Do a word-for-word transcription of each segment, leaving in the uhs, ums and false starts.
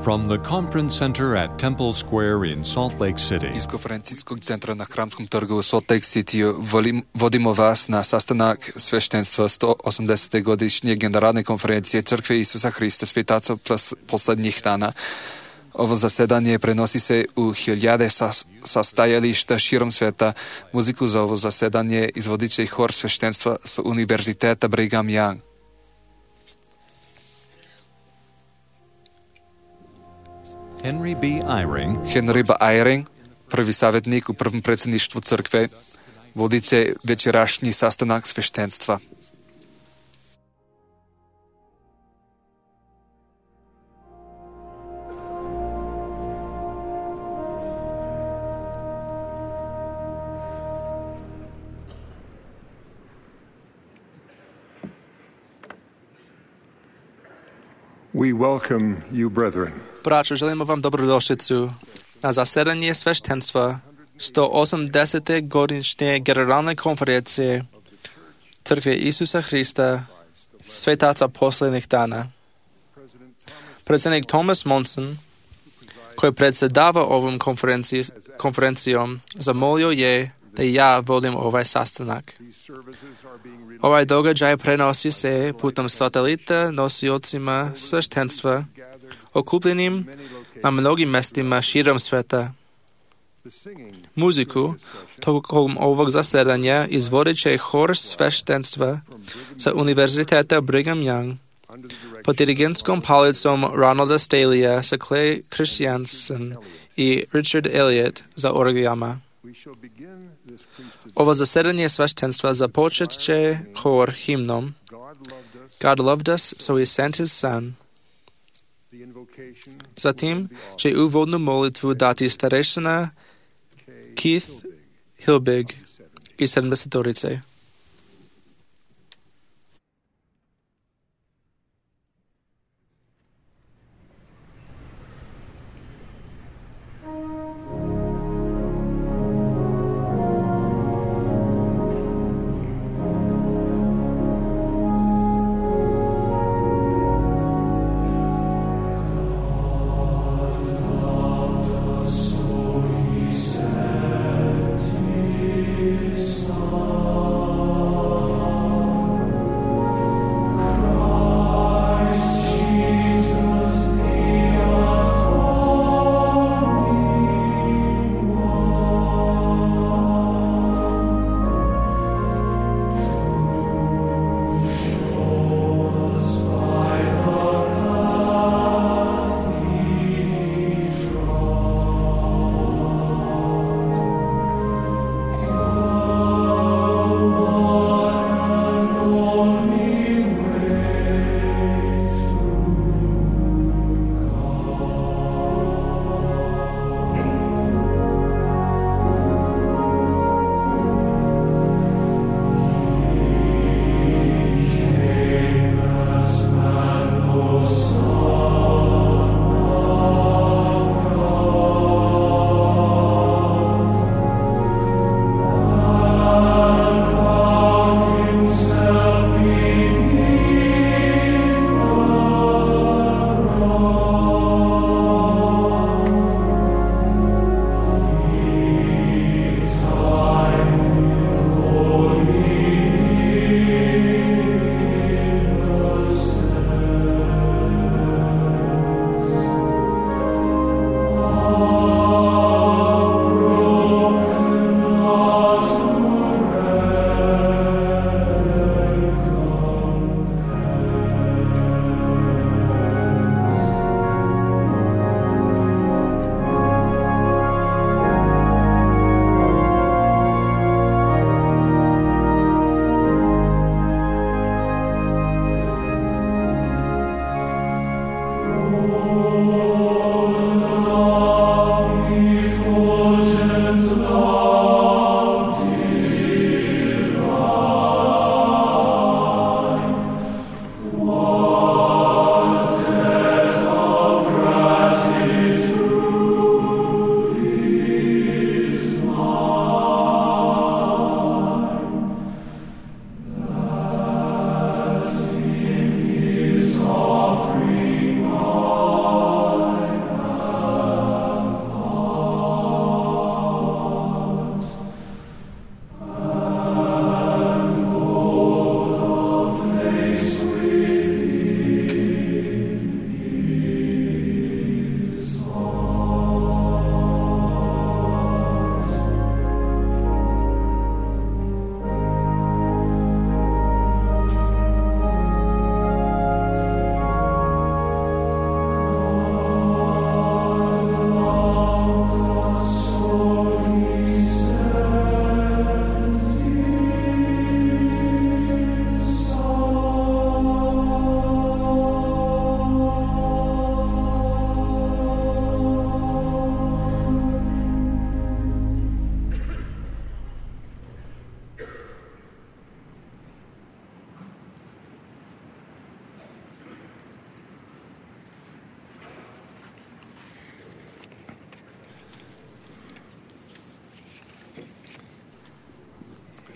From the Conference Center at Temple Square in Salt Lake City. Iz konferencijskog centra na Hramskom trgu u Salt Lake City vodimo vas na sastanak sveštenstva sto osamdesete godišnje generalne konferencije Crkve Isusa Hrista svetaca poslednjih dana. Ovo zasedanje prenosi se u hiljade sastajališta širom sveta. Muziku za ovo zasedanje izvodit će hor sveštenstva sa Univerziteta Brigham Young. Henry B. Eyring, Henry B. Eyring, prvi savjetnik u prvom predsjedništvu crkve, vodit će večerašnji sastanak sveštenstva. We welcome you, brethren. Braćo, želimo vam dobrodošlicu na zasedanje sveštenstva sto osamdesete godišnje generalne konferencije Crkve Isusa Hrista svetaca posljednjih dana. Predsjednik Thomas Monson, koji predsjedava ovom konferencijom, zamolio je da ja vodim ovaj sastanak. Ovaj događaj prenosi se putem satelita nosiocima sveštenstva okupljenim na mnogim mestima širom sveta. Muziku tokom ovog zasedanja izvodit će hor sveštenstva sa Univerziteta Brigham Young pod dirigentskom palicom Ronalda Staleyja sa Clay Christiansen i Richard Elliott za orgijama. Ovo zasedanje sveštenstva započet će hor himnom God loved us, so he sent his son. Zatim će uvodnu molitvu dati starešina Keith Hilbig iz sedamdesetorice. Oh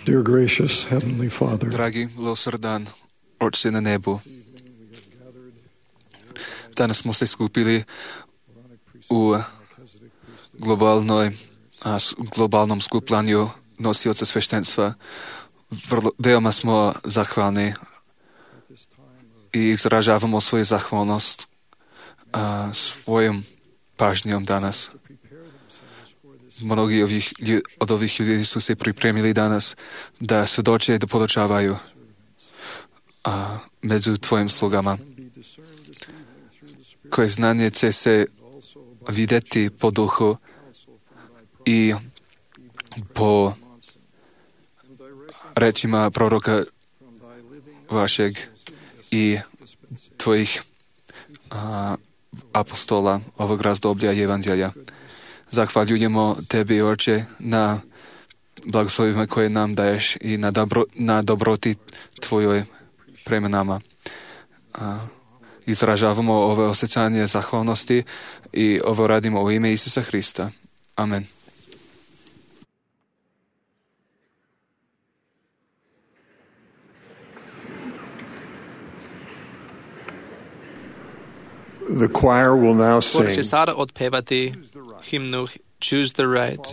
Dear gracious Heavenly Father, Dragi, milosrdan Oče na nebu, danas smo se skupili u globalnoj, a, globalnom skupljanju nosioca sveštenstva. Vrlo, veoma smo zahvalni i izražavamo svoju zahvalnost a, svojom pažnjom danas. Mnogi ovih, od ovih ljudi su se pripremili danas da svedoče i da podučavaju a, među tvojim slugama. Koje znanje će se vidjeti po duhu i po rečima proroka vašeg i tvojih a, apostola ovog razdoblja i evanđelja. Zahvaljujemo tebi, Oče, na blagoslovima koje nam daješ i na, dobro, na dobroti tvojoj prema nama. A, izražavamo ove osjećanje zahvalnosti i ovo radimo u ime Isusa Hrista. Amen. The choir will now Hor sing. će sada otpevati himnu Choose the Right.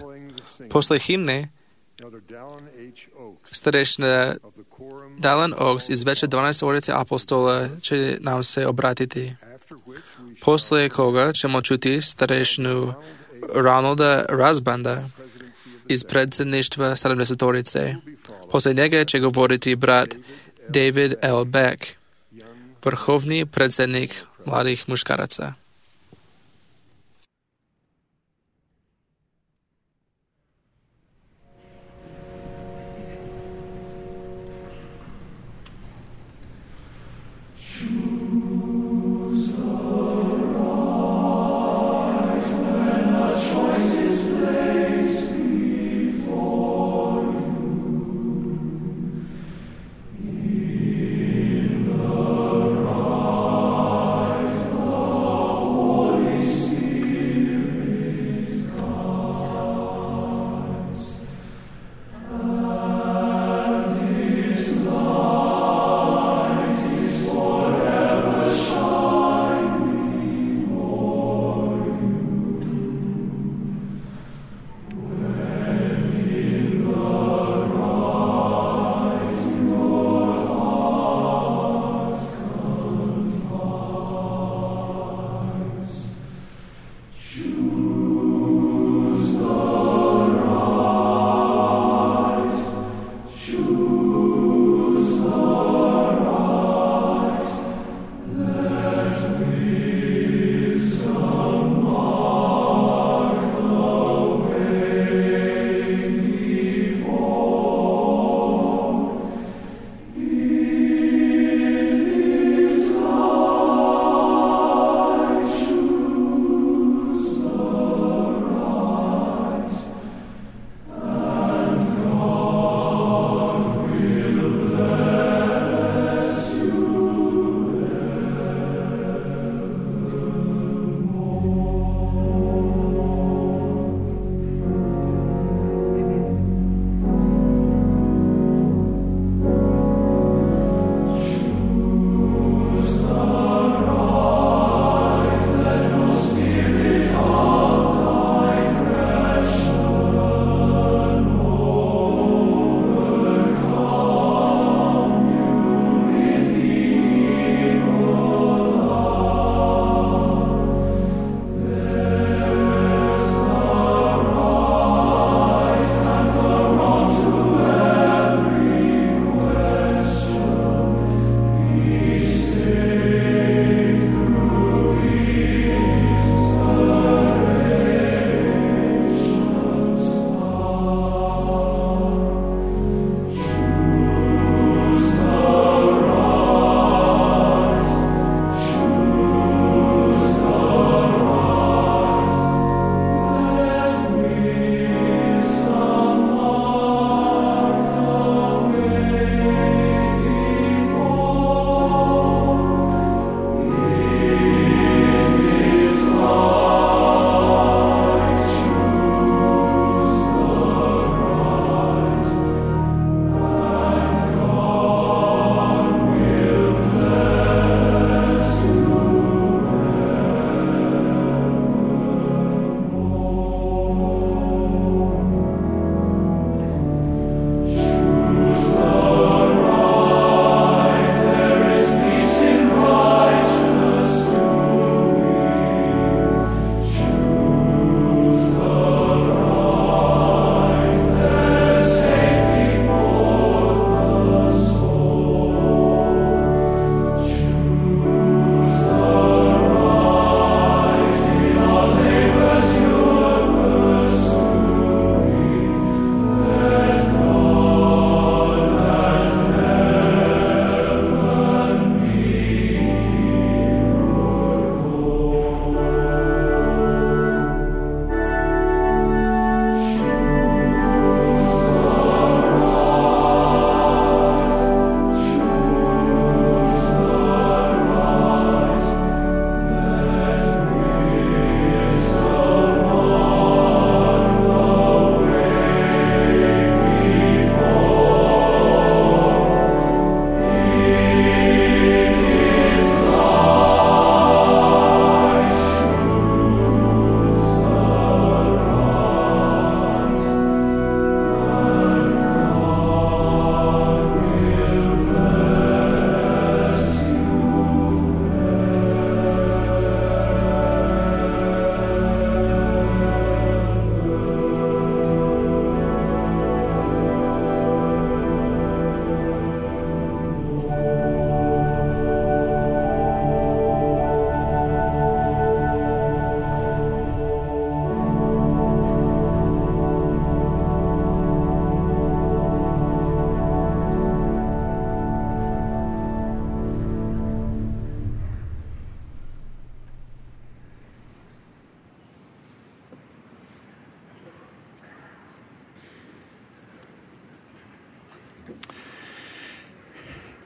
Posle himne starešna Dallin Oaks iz veće dvanaestorice apostola će nam se obratiti. Posle koga ćemo čuti starešnu Ronalda Razbanda iz predsjedništva sedamdesetorice. Posle njega će govoriti brat David L. Beck, vrhovni predsjednik mladih muškaraca. The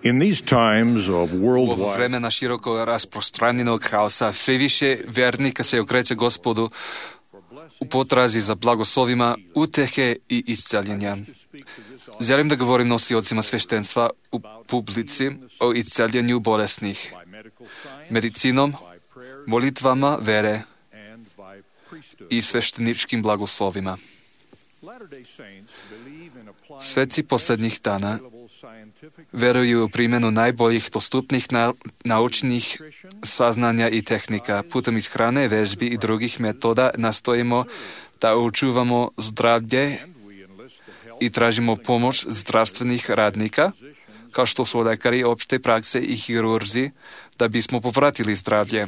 In these times of U ovo worldwide vreme na široko rasprostranjenog haosa sve više vernika se okreće Gospodu u potrazi za blagoslovima, utehe i isceljenja. Želim da govorim nosiocima sveštenstva u publici o isceljenju bolesnih, medicinom, molitvama vere i svešteničkim blagoslovima. Sveci posljednjih dana veruju u primjenu najboljih dostupnih na, naučnih saznanja i tehnika. Putem ishrane, vežbi i drugih metoda nastojimo da očuvamo zdravlje i tražimo pomoć zdravstvenih radnika, kao što su lekari opšte prakse i hirurzi, da bismo povratili zdravlje.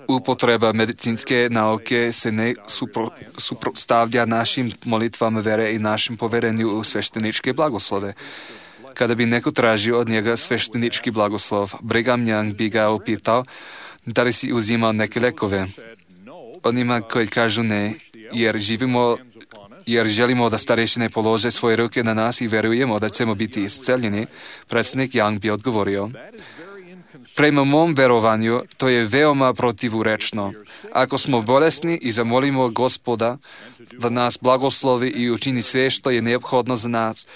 Upotreba medicinske nauke se ne supro, suprotstavlja našim molitvama vere i našem poverenju u svešteničke blagoslove. Kada bi neko tražio od njega sveštenički blagoslov, Brigham Young bi ga upitao da li si uzimao neke lekove. Onima koji kažu ne, jer živimo, jer želimo da starešine polože svoje ruke na nas i verujemo da ćemo biti isceljeni, predsjednik Young bi odgovorio: prema mom verovanju, to je veoma protivurečno. Ako smo bolesni i zamolimo Gospoda da nas blagoslovi i učini sve što je neophodno za nas,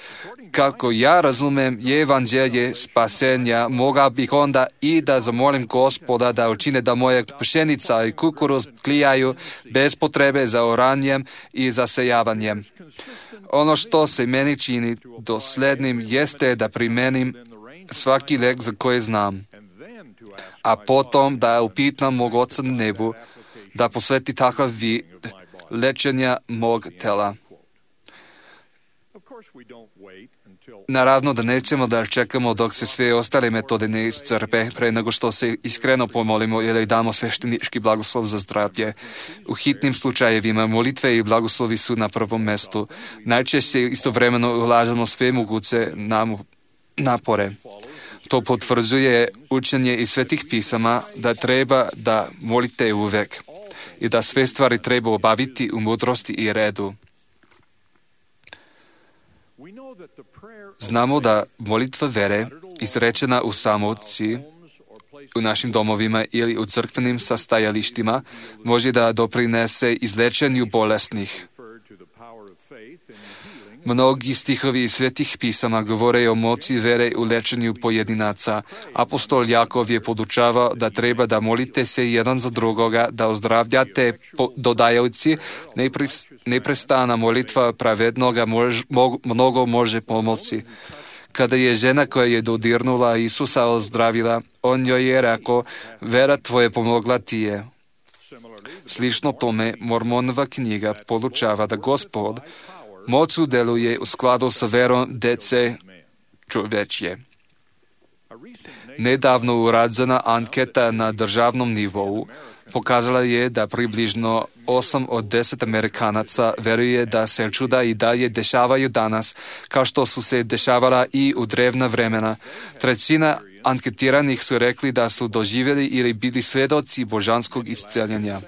kako ja razumem je evanđelje spasenja, mogao bih onda i da zamolim Gospoda da učine da moja pšenica i kukuruz klijaju bez potrebe za oranjem i zasejavanjem. Ono što se meni čini doslednim jeste da primenim svaki lek za koje znam, a potom da upitam mog Oca na nebu da posveti takav vid lečenja mog tela. Naravno da nećemo da čekamo dok se sve ostale metode ne iscrpe pre nego što se iskreno pomolimo ili damo sveštenički blagoslov za zdravlje. U hitnim slučajevima molitve i blagoslovi su na prvom mestu. Najčešće istovremeno ulažemo sve moguće napore. To potvrđuje učenje iz svetih pisama da treba da molite uvek i da sve stvari treba obaviti u mudrosti i redu. Znamo da molitva vere, izrečena u samoci, u našim domovima ili u crkvenim sastajalištima, može da doprinese izlečenju bolesnih. Mnogi stihovi iz svetih pisama govore o moći vere u lečenju pojedinaca. Apostol Jakov je podučavao da treba da molite se jedan za drugoga, da ozdravljate, dodajući neprestana molitva pravednoga mož, mo, mnogo može pomoći. Kada je žena koja je dodirnula Isusa ozdravila, on joj je rekao: vera tvoje pomogla ti je. Slično tome, Mormonova knjiga podučava da Gospod moću deluje u skladu sa verom dece čovečje. Nedavno urađena anketa na državnom nivou pokazala je da približno osam od deset Amerikanaca veruje da se čuda i dalje dešavaju danas, kao što su se dešavala i u drevna vremena. Trećina anketiranih su rekli da su doživjeli ili bili svedoci božanskog isceljenja.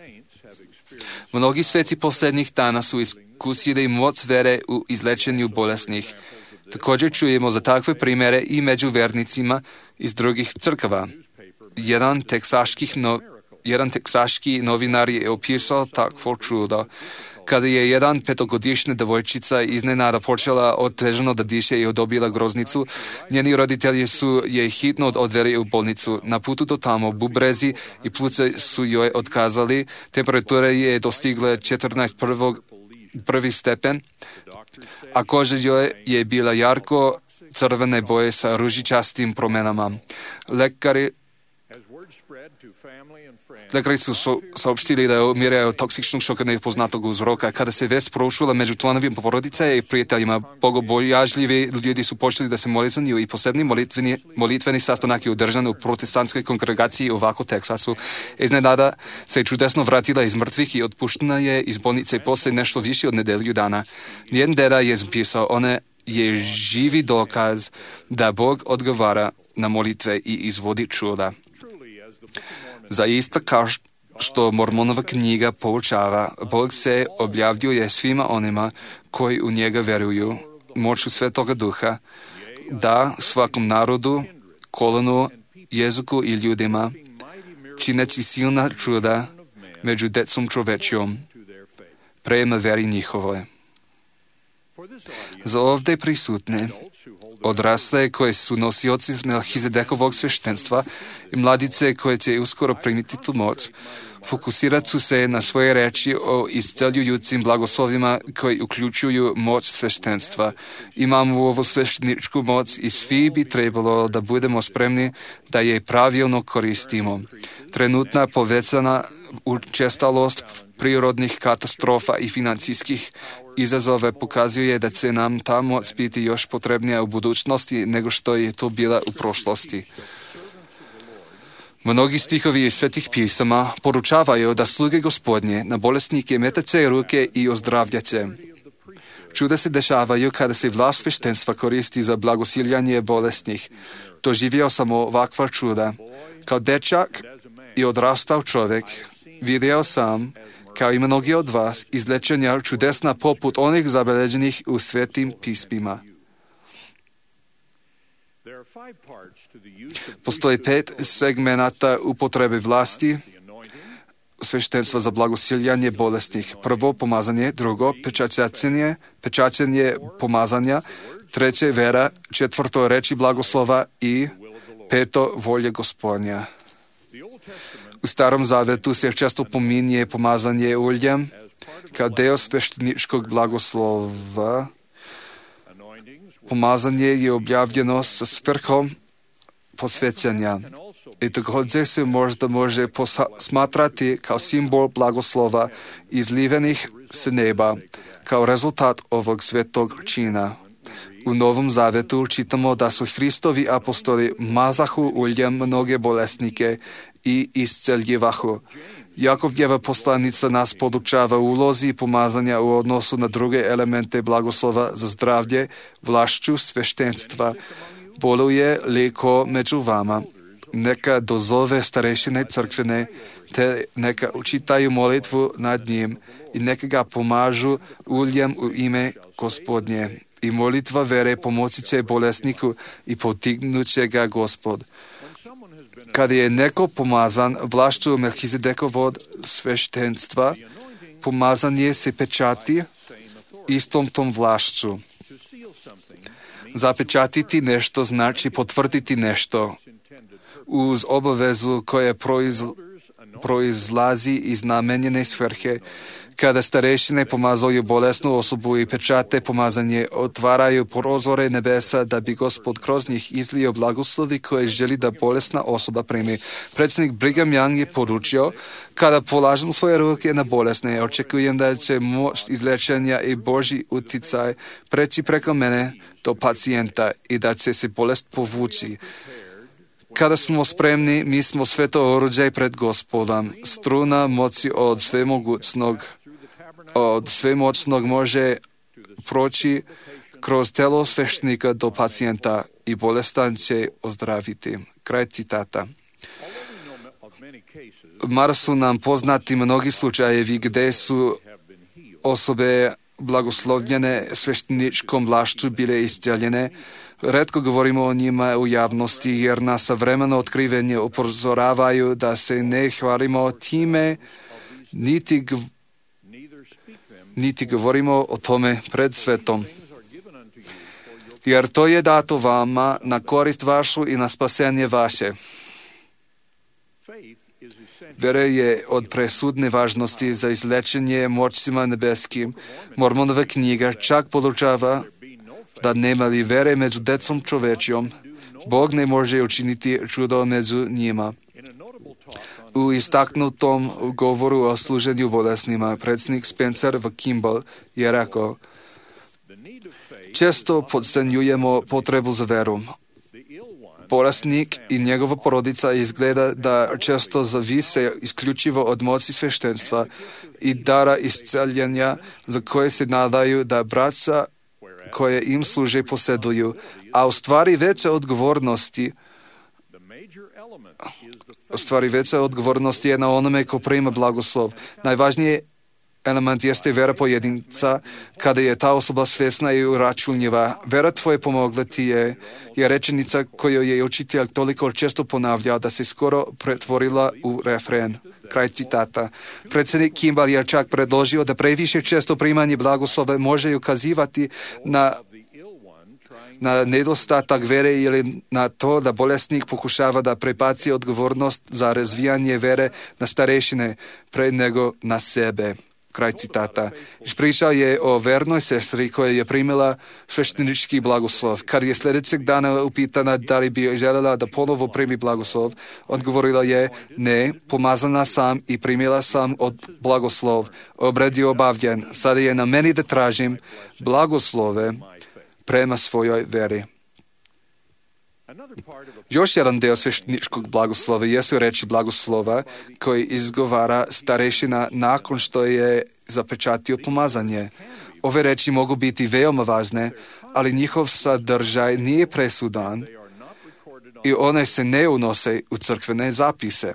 Mnogi sveci posljednjih dana su iskusili moć vere u izlečenju bolesnih. Također čujemo za takve primjere i među vernicima iz drugih crkava. Jedan teksaških no, jedan teksaški novinar je opisao takvo čudo. Kada je jedan petogodišnja devojčica iznenada počela otežano da diše i dobila groznicu, njeni roditelji su je hitno odveli u bolnicu. Na putu do tamo bubrezi i pluće su joj otkazali, temperatura je dostigla četrnaest prvi stepen, a koža joj je bila jarko crvene boje sa ružičastim promenama. Lekari Lekari su so, saopštili da umire od toksičnog šoka nepoznatog uzroka. Kada se vest prošula među članovima porodice i prijateljima, bogobojažljivi ljudi su počeli da se moli za nju i posebni molitveni, molitveni sastanak je održan u protestantskoj kongregaciji u Waco, Teksasu. Iznenada se čudesno vratila iz mrtvih i otpuštena je iz bolnice posle nešto više od nedelju dana. Njen deda je zapisao: ona je živi dokaz da Bog odgovara na molitve i izvodi čuda. Zaista kao što Mormonova knjiga poučava, Bog se objavljuje svima onima koji u njega veruju, moću Svetoga Duha. da svakom narodu, kolonu, jeziku i ljudima, čineći silna čuda među decom čovečjom, prema veri njihovoj. Za ovdje prisutne, odrasle koje su nosioci Melchizedekovog sveštenstva i mladice koje će uskoro primiti tu moć, fokusirat ću se na svoje reči o isceljujućim blagoslovima koji uključuju moć sveštenstva. Imamo ovu svešteničku moć i svi bi trebalo da budemo spremni da je pravilno koristimo. Trenutna povećana učestalost prirodnih katastrofa i financijskih izazove pokazuje da će nam ta moć biti još potrebnija u budućnosti nego što je to bila u prošlosti. Mnogi stihovi iz svetih pisama poručavaju da sluge Gospodnje na bolesnike metaće ruke i ozdravljaće. Čuda se dešavaju kada se vlast sveštenstva koristi za blagosiljanje bolesnih. Doživio sam ovakva čuda. Kao dečak i odrastao čovjek vidio sam, kao i mnogi od vas, izlečenja čudesna poput onih zabeleženih u svetim pismima. Postoji pet segmenata upotrebe vlasti sveštenstva za blagosiljanje bolesnih. Prvo, pomazanje. Drugo, pečaćenje, pečaćenje pomazanja. Treće, vera. Četvrto, reči blagoslova. I peto, volje Gospodnja. U Starom Zavetu se često pominje pomazanje uljem kao deo svešteničkog blagoslova. Pomazanje je objavljeno sa svrhom posvećanja i također se možda može smatrati kao simbol blagoslova izlivenih s neba, kao rezultat ovog svetog čina. U Novom Zavetu čitamo da su Hristovi apostoli mazahu uljem mnoge bolesnike i isceljivahu. Jakovljeva poslanica nas podučava ulozi pomazanja u odnosu na druge elemente blagoslova za zdravlje, vlašću sveštenstva. Boluje li ko među vama? Neka dozove starešine crkvene, te neka učitaju molitvu nad njim i neka ga pomažu uljem u ime Gospodnje. I molitva vere pomoći će bolesniku i potignut će ga Gospod. Kada je neko pomazan vlašću Melchizedekovog sveštenstva, pomazanje se pečati istom tom vlašću. Zapečatiti nešto znači potvrditi nešto uz obavezu koja proiz, proizlazi iz namenjene svrhe. Kada starešine pomazuju bolesnu osobu i pečate pomazanje, otvaraju prozore nebesa da bi Gospod kroz njih izlio blagoslovi koje želi da bolesna osoba primi. Predsjednik Brigham Young je poručio, kada polažem svoje ruke na bolesne, očekujem da će moć izlečenja i Božji uticaj preći preko mene do pacijenta i da će se bolest povući. Kada smo spremni, mi smo sveto oruđaj pred Gospodom. Struna moći od svemogućnog, od svemoćnog može proći kroz telo sveštenika do pacijenta i bolestan će ozdraviti. Kraj citata. Mar su nam poznati mnogi slučajevi gdje su osobe blagoslovljene svešteničkom vlašću bile isceljene. Retko govorimo o njima u javnosti jer nas savremeno otkrivenje upozoravaju da se ne hvalimo time, niti, niti govorimo o tome pred svetom. Jer to je dato vama na korist vašu i na spasenje vaše. Vera je od presudne važnosti za izlečenje moćima nebeskim. Mormonova knjiga čak podučava da nema li vere među decom čovečjom, Bog ne može učiniti čudo među njima. U istaknutom govoru o služenju bolesnima, predsjednik Spencer v. Kimball je rekao, često podcenjujemo potrebu za veru. Bolesnik i njegova porodica izgleda da često zavise isključivo od moći sveštenstva i dara isceljenja za koje se nadaju da braća koje im služe posjeduju, a u stvari veća odgovornosti u stvari veća odgovornost je na onome ko prima blagoslov. Najvažnije element jeste vera pojedinca, kada je ta osoba svjesna i uračunljiva. Vera tvoje pomogla ti je, je rečenica koju je učitelj toliko često ponavljao da se skoro pretvorila u refren. Kraj citata. Predsjednik Kimball je čak predložio da previše često primanje blagoslova može ukazivati na na nedostatak vere ili na to da bolesnik pokušava da prebaci odgovornost za razvijanje vere na starešine pre nego na sebe. Kraj citata. Ispričao je o vernoj sestri koja je primila sveštenički blagoslov. Kad je sljedećeg dana upitana da li bi željela da ponovo primi blagoslov, odgovorila je ne, pomazana sam i primila sam od blagoslov. Obred je obavljen. Sada je na meni da tražim blagoslove prema svojoj veri. Još jedan deo svešteničkog blagoslova jesu reči blagoslova koji izgovara starešina nakon što je zapečatio pomazanje. Ove reči mogu biti veoma važne, ali njihov sadržaj nije presudan i one se ne unose u crkvene zapise.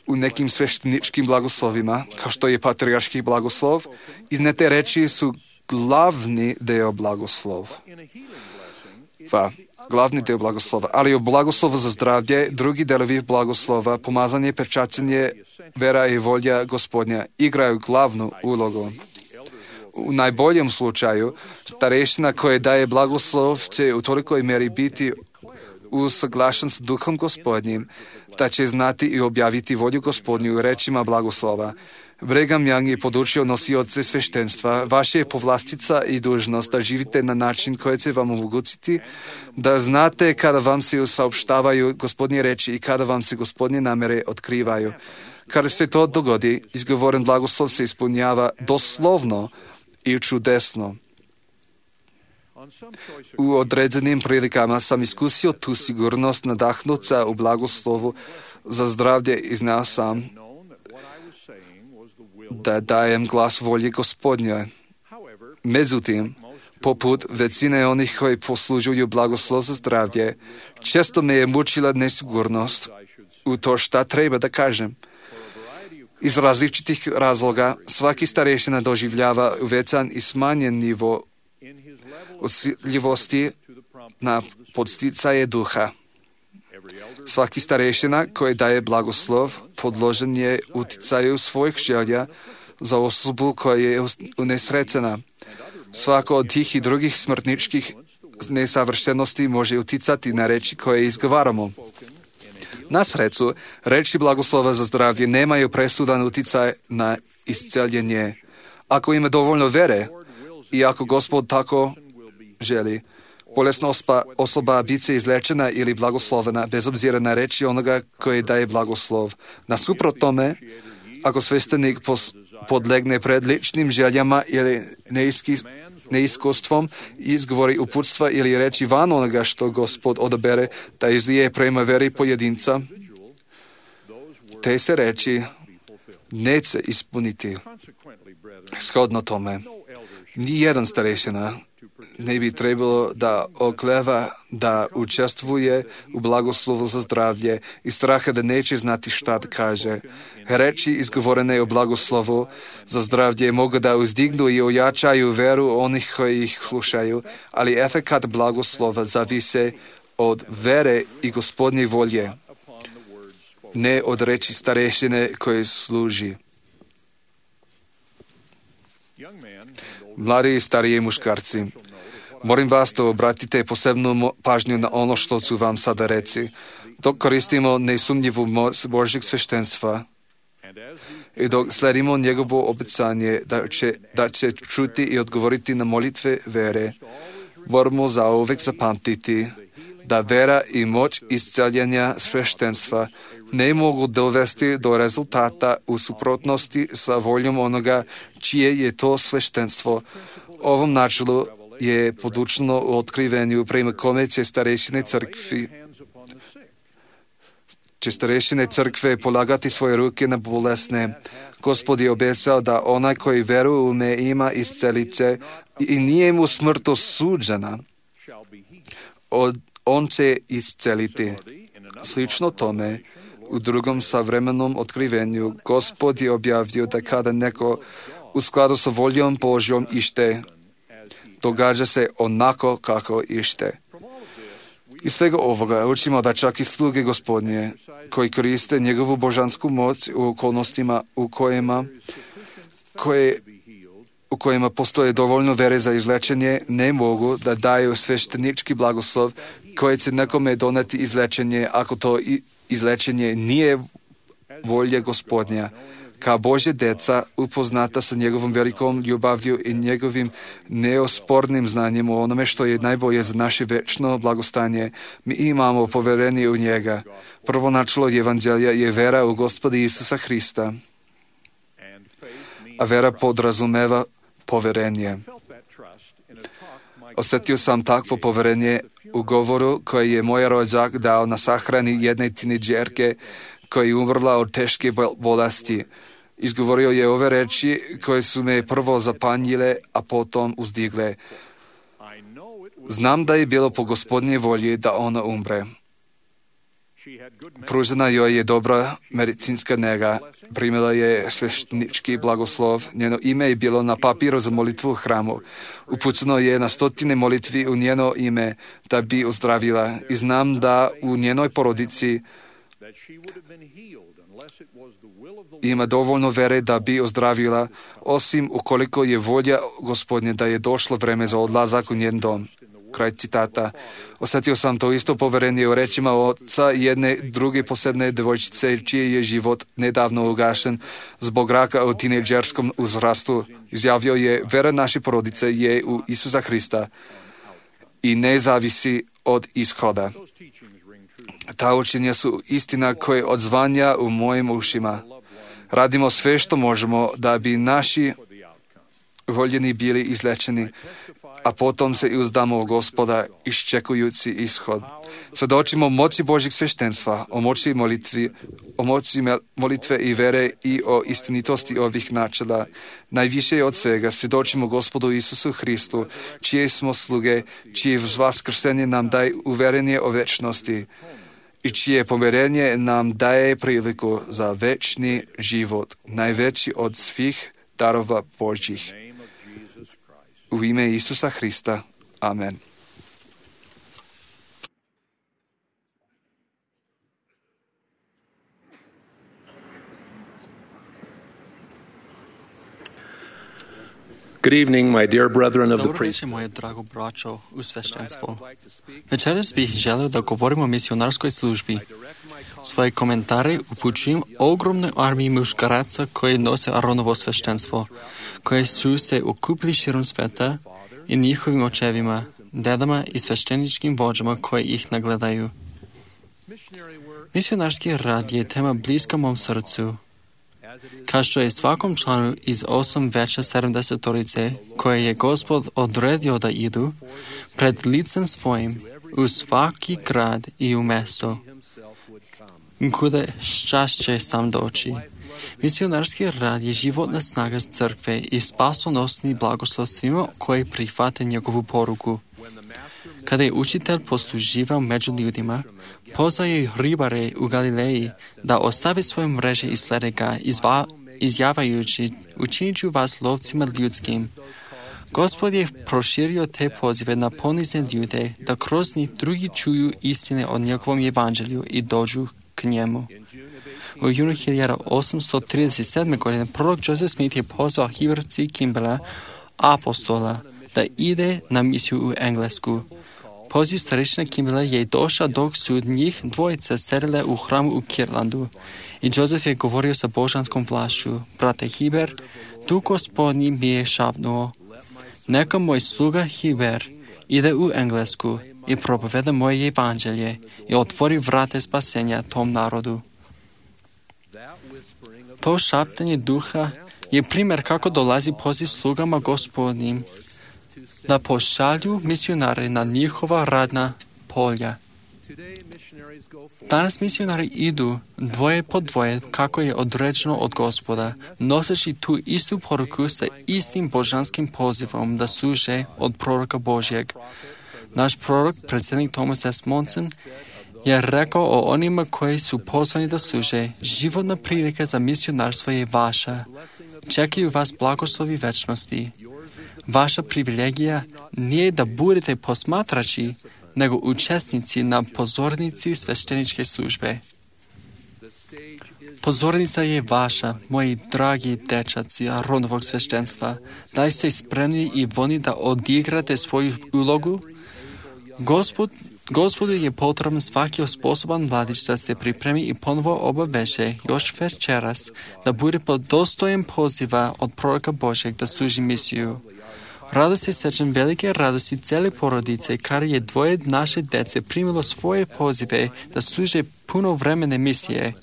U nekim svešteničkim blagoslovima, kao što je patrijarški blagoslov, iznete reči su glavni deo blagoslova. Va, glavni deo blagoslova, ali u blagoslovu za zdravlje, drugi delovi blagoslova, pomazanje, pečaćenje, vera i volja Gospodnja igraju glavnu ulogu. U najboljem slučaju, starešina koja daje blagoslov će u tolikoj meri biti usaglašen s duhom Gospodnjim, da će znati i objaviti volju Gospodnju u rečima blagoslova. Brigham Young je podučio nosioce sveštenstva, vaša je povlastica i dužnost da živite na način koji će vam omogućiti, da znate kada vam se saopštavaju Gospodnje reči i kada vam se Gospodnje namere otkrivaju. Kada se to dogodi, izgovoren blagoslov se ispunjava doslovno i čudesno. U određenim prilikama sam iskusio tu sigurnost nadahnuća u blagoslovu za zdravlje i znao sam da dajem glas volji Gospodnjoj. Međutim, poput većine onih koji poslužuju blagoslov za zdravlje, često me je mučila nesigurnost u to šta treba da kažem. Iz različitih razloga svaki starešina doživljava uvećan i smanjen nivo osjetljivosti na podsticaje duha. Svaki starešina koji daje blagoslov podložen je uticaju svojih želja za osobu koja je unesrećena. Svako od tih i drugih smrtničkih nesavršenosti može uticati na reči koje izgovaramo. Na sreću, reči blagoslova za zdravlje nemaju presudan uticaj na isceljenje. Ako ima dovoljno vere i ako Gospod tako želi, bolesna osoba, osoba bit će izlečena ili blagoslovena bez obzira na reči onoga koji daje blagoslov. Nasuprot tome, ako sveštenik podlegne pred ličnim željama ili neiski, neiskustvom i izgovori uputstva ili reči van onoga što Gospod odabere da izlije prema veri pojedinca, te se reči neće ispuniti. Shodno tome, nijedan starešina ne bi trebalo da okleva da učestvuje u blagoslovu za zdravlje i straha da neće znati šta da kaže. Reči izgovorene o blagoslovu za zdravlje mogu da uzdignu i ojačaju veru onih koji ih slušaju, ali efekat blagoslova zavise od vere i Gospodnje volje, ne od reči starešine koje služi. Mladi i stariji muškarci, molim vas da obratite posebnu pažnju na ono što ću vam sada reći. Dok koristimo nesumnjivu moć Božjeg sveštenstva i dok sledimo njegovo obećanje da će, da će čuti i odgovoriti na molitve vere, moramo zauvek zapamtiti da vera i moć isceljenja sveštenstva ne mogu dovesti do rezultata u suprotnosti sa voljom onoga čije je to sveštenstvo. Ovom načelu je podučeno u otkrivenju prema kome će starešine crkvi će starešine crkve polagati svoje ruke na bolesne. Gospod je obećao da onaj koji veruje u me ima iscelit će i nije mu smrt osuđena. Od, on će isceliti. Slično tome, u drugom savremenom otkrivenju, Gospod je objavio da kada neko u skladu sa voljom Božjom ište. Događa se onako kako ište. Iz svega ovoga učimo da čak i sluge Gospodnje, koji koriste njegovu božansku moć u okolnostima u kojima, koje, u kojima postoje dovoljno vere za izlečenje, ne mogu da daju sveštenički blagoslov koji će nekome doneti izlečenje ako to izlečenje nije volje Gospodnja. Kao Božje deca, upoznata sa njegovom velikom ljubavlju i njegovim neospornim znanjem o onome što je najbolje za naše večno blagostanje, mi imamo poverenje u njega. Prvo načelo evanđelja je vera u Gospoda Isusa Hrista, a vera podrazumeva poverenje. Osjetio sam takvo poverenje u govoru koji je moj rođak dao na sahrani jedne tinejdžerke koja je umrla od teške bolesti. Izgovorio je ove reči koje su me prvo zapanjile, a potom uzdigle. Znam da je bilo po Gospodnje volji da ona umre. Pružena joj je dobra medicinska nega, primila je sveštenički blagoslov, njeno ime je bilo na papiru za molitvu u hramu. Upućeno je na stotine molitvi u njeno ime da bi ozdravila i znam da u njenoj porodici ima dovoljno vere da bi ozdravila, osim ukoliko je volja Gospodnje da je došlo vreme za odlazak u njen dom. Kraj citata. Osjetio sam to isto poverenje u rečima oca jedne druge posebne devojčice, čiji je život nedavno ugašen zbog raka u tinejdžerskom uzrastu. Izjavio je, vera naše porodice je u Isusa Hrista i ne zavisi od ishoda. Ta učenja su istina koje odzvanja u mojim ušima. Radimo sve što možemo da bi naši voljeni bili izlečeni, a potom se uzdamo u Gospoda iščekujući ishod. Svjedočimo moći Božjeg sveštenstva, o moći molitvi, o moći molitve i vere i o istinitosti ovih načela. Najviše od svega svjedočimo Gospodu Isusu Hristu, čije smo sluge, čije vaskrsenje nam daje uverenje o večnosti i čije pomirenje nam daje priliku za večni život, najveći od svih darova Božjih. U ime Isusa Hrista. Amen. Good evening, my dear brethren of the Dobro večer, priesthood. moje drago braćo u sveštenstvo. Večeras bih želeo da govorimo o misionarskoj službi. Svoje komentare upućujem ogromnoj armiji muškaraca koji nose Aronovo sveštenstvo, koje su se okupili širom sveta i njihovim očevima, dedama i svešteničkim vođama koji ih nagledaju. Misionarski rad je tema bliska mom srcu. Kao što je svakom članu iz osam veća sedamdesetorice koje je Gospod odredio da idu pred licem svojim u svaki grad i u mesto, kuda šćašće sam doći. Misionarski rad je životna snaga crkve i spasonosni blagoslov svima koji prihvate njegovu poruku. Kada je učitelj posluživao među ljudima, pozvao je ribare u Galileji da ostave svoje mreže i slede ga, izva, izjavajući, učinit ću vas lovcima ljudskim. Gospod je proširio te pozive na ponizne ljude, da kroz njih drugi čuju istine o njegovom evanđelju i dođu k njemu. U junu hiljadu osamsto trideset sedme. godine prorok Joseph Smith je pozvao Heber C. Kimballa, apostola, da ide na misiju u Englesku. Poziv starešina Kimballa je došao dok su njih dvojica sedele u hramu u Kirlandu i Joseph je govorio sa božanskom vlašću. Brate Heber, Duh Gospodnji mi je šapnuo, neka moj sluga Heber ide u Englesku i propoveda moje evanđelje i otvori vrate spasenja tom narodu. To šaptanje duha je primjer kako dolazi poziv slugama Gospodnjim da pošalju misionare na njihova radna polja. Danas misionari idu dvoje po dvoje kako je određeno od Gospoda, noseći tu istu poruku sa istim božanskim pozivom da služe od proroka Božjeg. Naš prorok, predsjednik Thomas S. Monson, je rekao o onima koji su pozvani da služe, životna prilika za misionarstvo je vaša. Čekaju vas blagoslovi večnosti. Vaša privilegija nije da budete posmatrači, nego učesnici na pozornici svešteničke službe. Pozornica je vaša, moji dragi dečaci Aronovog sveštenstva. Da li ste spremni i voljni da odigrate svoju ulogu? Gospod, Gospodu je potreban svaki sposoban mladić da se pripremi i ponovo obaveže još večeras da bude pod dostojem poziva od proroka Božeg da služi misiju. Rado se sećam velike radosti cele porodice, kar je dvoje naše dece primilo svoje pozive da služe punovremene misije.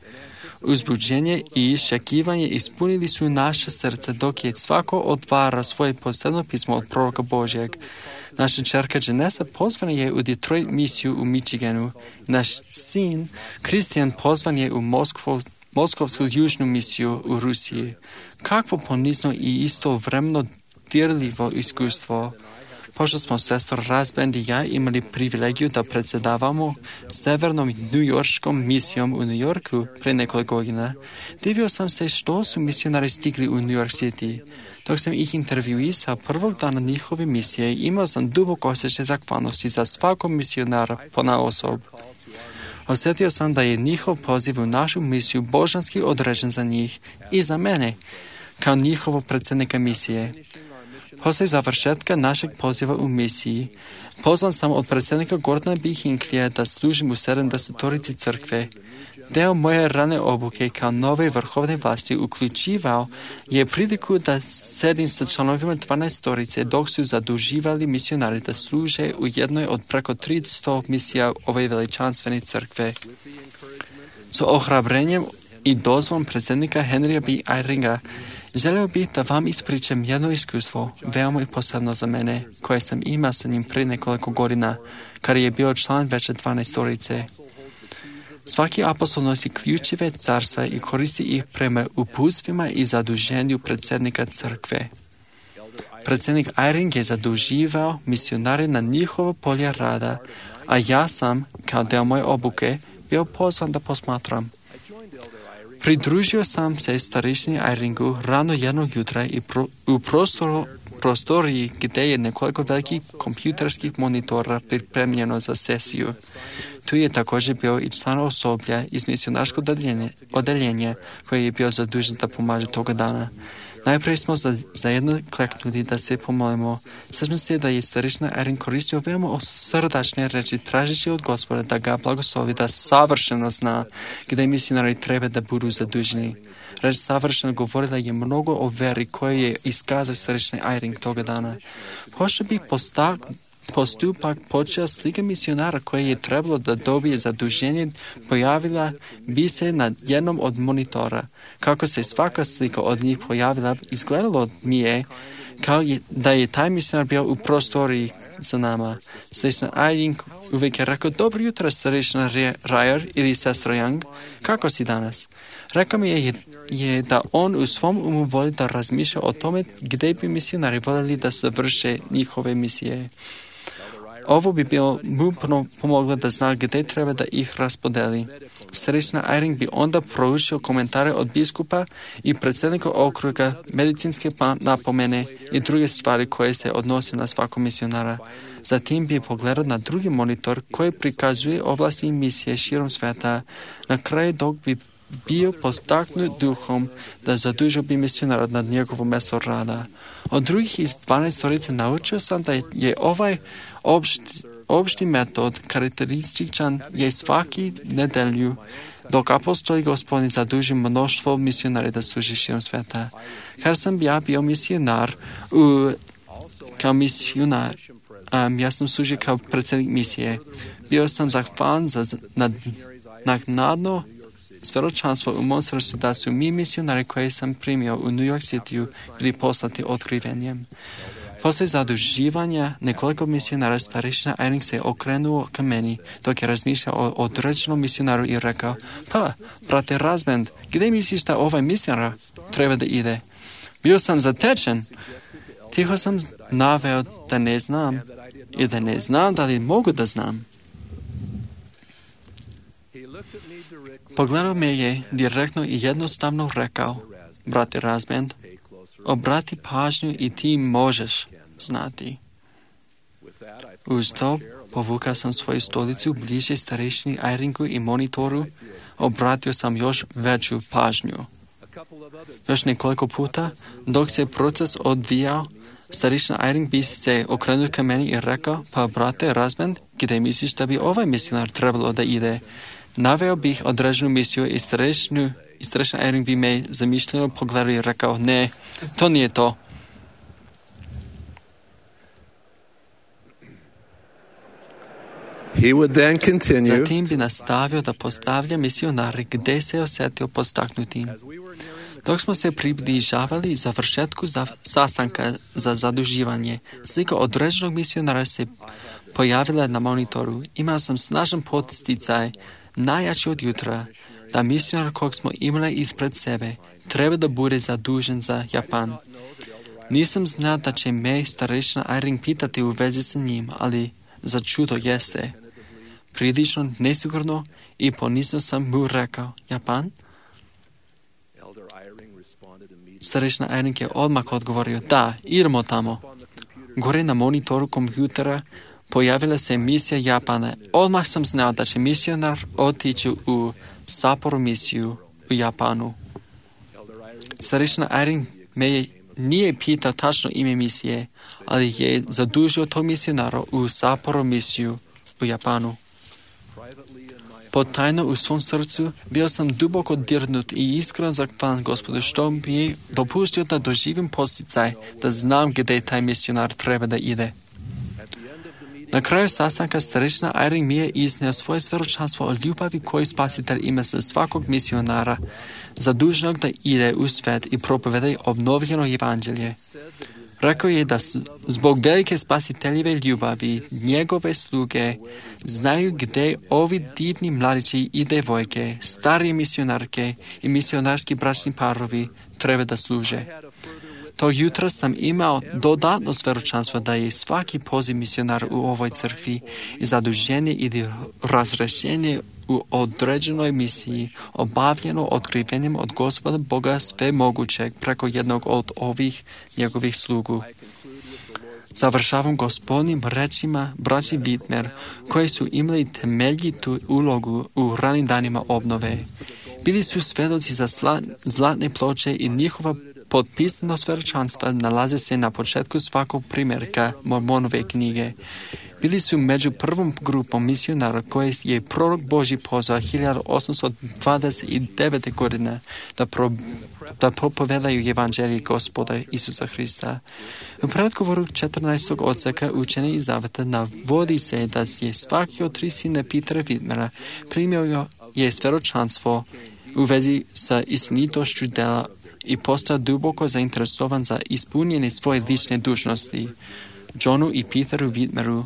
Uzbuđenje i iščekivanje ispunili su naše srce dok je svako otvara svoje posebno pismo od proroka Božjeg. Naša čerka Janessa pozvana je u Detroit misiju u Michiganu. Naš sin Kristijan pozvan je u Moskvu, Moskovsku južnu misiju u Rusiji. Kakvo ponizno i istovremeno dirljivo iskustvo. Pošto smo sestor Razbend i ja imali privilegiju da predsjedavamo severnom newyorškom misijom u New Yorku pre nekoliko godina, divio sam se što su misionari stigli u New York City. Dok sam ih intervjuisao prvog dana njihove misije, imao sam dubok osjećaj zahvalnosti za svakog misionara ponaosob. Osjetio sam da je njihov poziv u našu misiju božanski određen za njih i za mene, kao njihovog predsjednika misije. Poslije završetka našeg poziva u misiji, pozvan sam od predsjednika Gordona B. Hinckleyja da služim u sedamdesetorici crkve. Deo moje rane obuke kao nove vrhovne vlasti uključivao je priliku da sedim sa članovima dvanaestorice dok su zaduživali misionari da služe u jednoj od preko tristo misija ove veličanstvene crkve. S ohrabrenjem i dozvom predsjednika Henrya B. Eyringa želio bih da vam ispričam jedno iskustvo, veoma i posebno za mene, koje sam imao sa njim prije nekoliko godina, kad je bio član veće dvanaestorice. Svaki apostol nosi ključeve carstva i koristi ih prema uputstvima i zaduženju predsjednika crkve. Predsjednik Eyring je zaduživao misionare na njihovo polje rada, a ja sam, kao deo moje obuke, bio pozvan da posmatram. Pridružio sam se starešini Eyringu rano jednog jutra i pro, u prostoru, prostoriji gdje je nekoliko velikih kompjuterskih monitora pripremljeno za sesiju. Tu je također bio i član osoblja iz misionarskog odeljenja koji je bio zadužen da pomaže toga dana. Najprije smo za, zajedno kleknuli da se pomolimo. Sećam se da je starešina Eyring koristio veoma srdačne reči tražeći od Gospoda da ga blagoslovi, da savršeno zna gdje misionari treba da budu zaduženi. Reč savršeno govorila je mnogo o veri koje je iskazao starešina Eyring toga dana. Pošto bi postak postupak počeo slika misionara koje je trebalo da dobije zaduženje pojavila bi se na jednom od monitora. Kako se svaka slika od njih pojavila, izgledalo mi je kao je, da je taj misionar bio u prostoriji za nama. Starešina Eyring uvijek je rekao, dobro jutro, starešina Rajer ili sestro Young, kako si danas? Rekao mi je, je da on u svom umu voli da razmišlja o tome gdje bi misionari voljeli da završe njihove misije. Ovo bi bilo mu pomoglo da zna gdje treba da ih raspodeli. Starešina Eyring bi onda proučio komentare od biskupa i predsjednika okruga, medicinske napomene i druge stvari koje se odnose na svakog misionara. Zatim bi pogledao na drugi monitor koji prikazuje oblasti misije širom sveta. Na kraju dok bi bio postaknut duhom da zadužio bi misionara nad njegovo mjesto rada. Od drugih iz dvanaestorice naučio sam da je ovaj opšti, opšti metod karakterističan je svaki nedelju, dok apostoli Gospodin zaduži mnoštvo misionara da služi širom sveta. Kad sam ja bio misionar, u, kao misionar, um, ja sam služio kao predsjednik misije. Bio sam zahvalan za nad, naknadno svedočanstvo u mom srcu da su mi misionari koje sam primio u New York City bili poslati otkrivenjem. Poslije zaduživanja nekoliko misionara starešina Eyring se okrenuo ka meni dok je razmišljao o određenom misionaru i rekao, pa, brate Razbend, gdje misliš da ovaj misionar treba da ide? Bio sam zatečen. Tiho sam naveo da ne znam i da ne znam da li mogu da znam. Pogledao me je direktno i jednostavno rekao, brate Razbend, Obrati pažnju i ti možeš znati. Uz to povukao sam svoju stolicu bliže starešini Eyringu i monitoru, obratio sam još veću pažnju. Još nekoliko puta, dok se proces odvijao, starešina Eyring bi se okrenuo ka meni i rekao, pa brate Razband, gdje misliš da bi ovaj misionar trebalo da ide? Naveo bih određenu misiju i starešina Eyring bi me zamišljeno pogledao i rekao, ne, to nije to. He would then continue. Zatim bi nastavio da postavlja misionare gdje se osjetio postaknutim. Dok smo se približavali završetku za sastanka za zaduživanje, slika određenog misionara se pojavila na monitoru. Imao sam snažan podsticaj, najjači od jutra, da misionar kog smo imali ispred sebe treba da bude zadužen za Japan. Nisam znao da će me starešina Eyring pitati u vezi sa njim, ali za čudo jeste. Prilično nesigurno i ponizno sam mu rekao, Japan? Starešina Eyring je odmah odgovorio, da, idemo tamo. Gore na monitoru kompjutera pojavila se misija Japana. Odmah sam znao da će misionar otići u Sapporo misiju u Japanu. Starešina Eyring me je nije pitao tačno ime misije, ali je zadužio tog misionara u Sapporo misiju u Japanu. Potajno u svom srcu bio sam duboko dirnut i iskreno zahvalan Gospodu što mi je dopustio da doživim posticaj, da znam gdje taj misionar treba da ide. Na kraju sastanka starešina Eyring mi je izneo svoje svjedočanstvo o ljubavi koju Spasitelj ima za svakog misionara, zaduženog da ide u svijet i propoveda obnovljeno evanđelje. Rekao je da zbog velike Spasiteljeve ljubavi njegove sluge znaju gdje ovi divni mladići i devojke, starije misionarke i misionarski bračni parovi treba da služe. To jutro sam imao dodatno svjedočanstvo da je svaki poziv misionar u ovoj crkvi i zaduženje ili razrešenje u određenoj misiji obavljeno otkrivenjem od Gospoda Boga sve mogućeg preko jednog od ovih njegovih slugu. Završavam Gospodnim rečima braći Whitmer, koji su imali temeljitu ulogu u ranim danima obnove. Bili su svjedoci za sla, zlatne ploče i njihova potpisano svjedočanstva nalaze se na početku svakog primjerka Mormonove knjige. Bili su među prvom grupom misionara koje je prorok Božji pozvao hiljadu osamsto dvadeset devete. godine da, pro, da propovedaju evanđelje Gospoda Isusa Hrista. U predgovoru četrnaestog odseka učenja i zaveta navodi se da je svaki od tri sina Petra Whitmera primio je svjedočanstvo u vezi sa istinitošću dela i postao duboko zainteresovan za ispunjenje svoje lične dužnosti. Johnu i Peteru Whitmeru,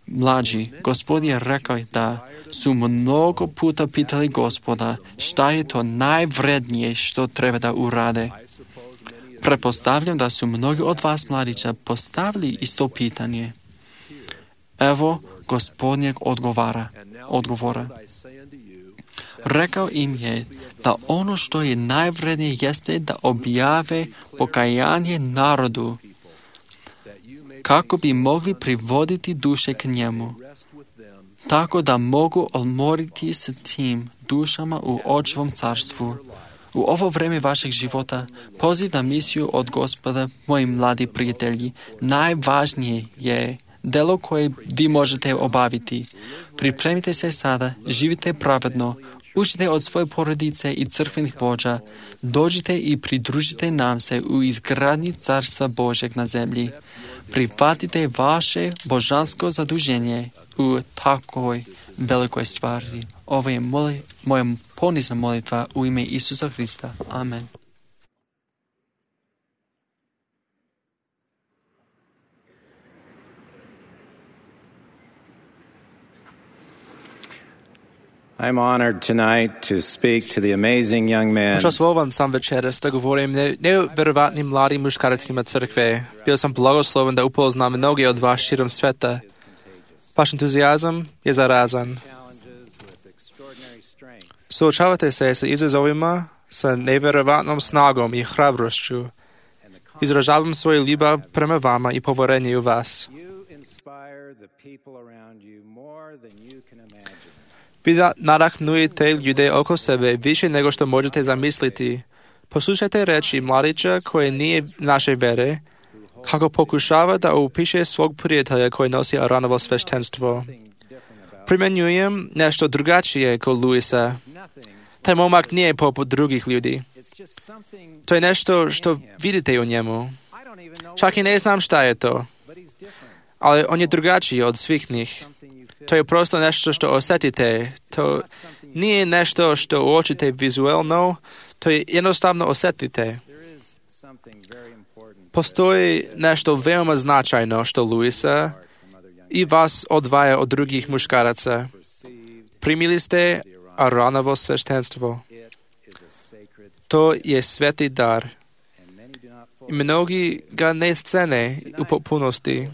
mlađi, Gospod je rekao da su mnogo puta pitali Gospoda šta je to najvrednije što treba da urade. Pretpostavljam da su mnogi od vas mladića postavili isto pitanje. Evo Gospodnjeg odgovara, odgovora. Rekao im je da ono što je najvrednije jeste da objave pokajanje narodu, kako bi mogli privoditi duše k njemu, tako da mogu odmoriti s tim dušama u Očevom carstvu. U ovo vreme vašeg života, poziv na misiju od Gospoda, moji mladi prijatelji, najvažnije je delo koje vi možete obaviti. Pripremite se sada, živite pravedno, učite od svoje porodice i crkvenih vođa, dođite i pridružite nam se u izgradnji Carstva Božeg na zemlji. Prihvatite vaše božansko zaduženje u takvoj velikoj stvari. Ovo je moli, moja ponizna molitva u ime Isusa Hrista. Amen. I'm honored tonight to speak to the amazing young man. Počastvovan sam večeras da govorim ne, nevjerovatnim mladim muškarcima crkve. Bio sam blagosloven da upoznam mnoge od vas širom sveta. Vaš entuzijazam je zarazan. Suočavate se sa izazovima sa nevjerovatnom snagom i hrabrošću Izražavam svoju ljubav prema vama i poverenje u vas. Vi nadahnujete ljude oko sebe više nego što možete zamisliti. Poslušajte reči mladića koji nije naše vere, kako pokušava da upiše svog prijatelja koji nosi Aaronovo sveštenstvo. Primjenjujem nešto drugačije kod Luisa. Taj momak nije poput drugih ljudi. To je nešto što vidite u njemu. Čak i ne znam šta je to. Ali on je drugačiji od svih njih. To je prosto nešto što osjetite. To nije nešto što uočite vizualno, to je jednostavno osjetite. Postoji nešto veoma značajno što Luisa i vas odvaja od drugih muškaraca. Primili ste Aaronovo sveštenstvo. To je sveti dar. I mnogi ga ne cene u potpunosti.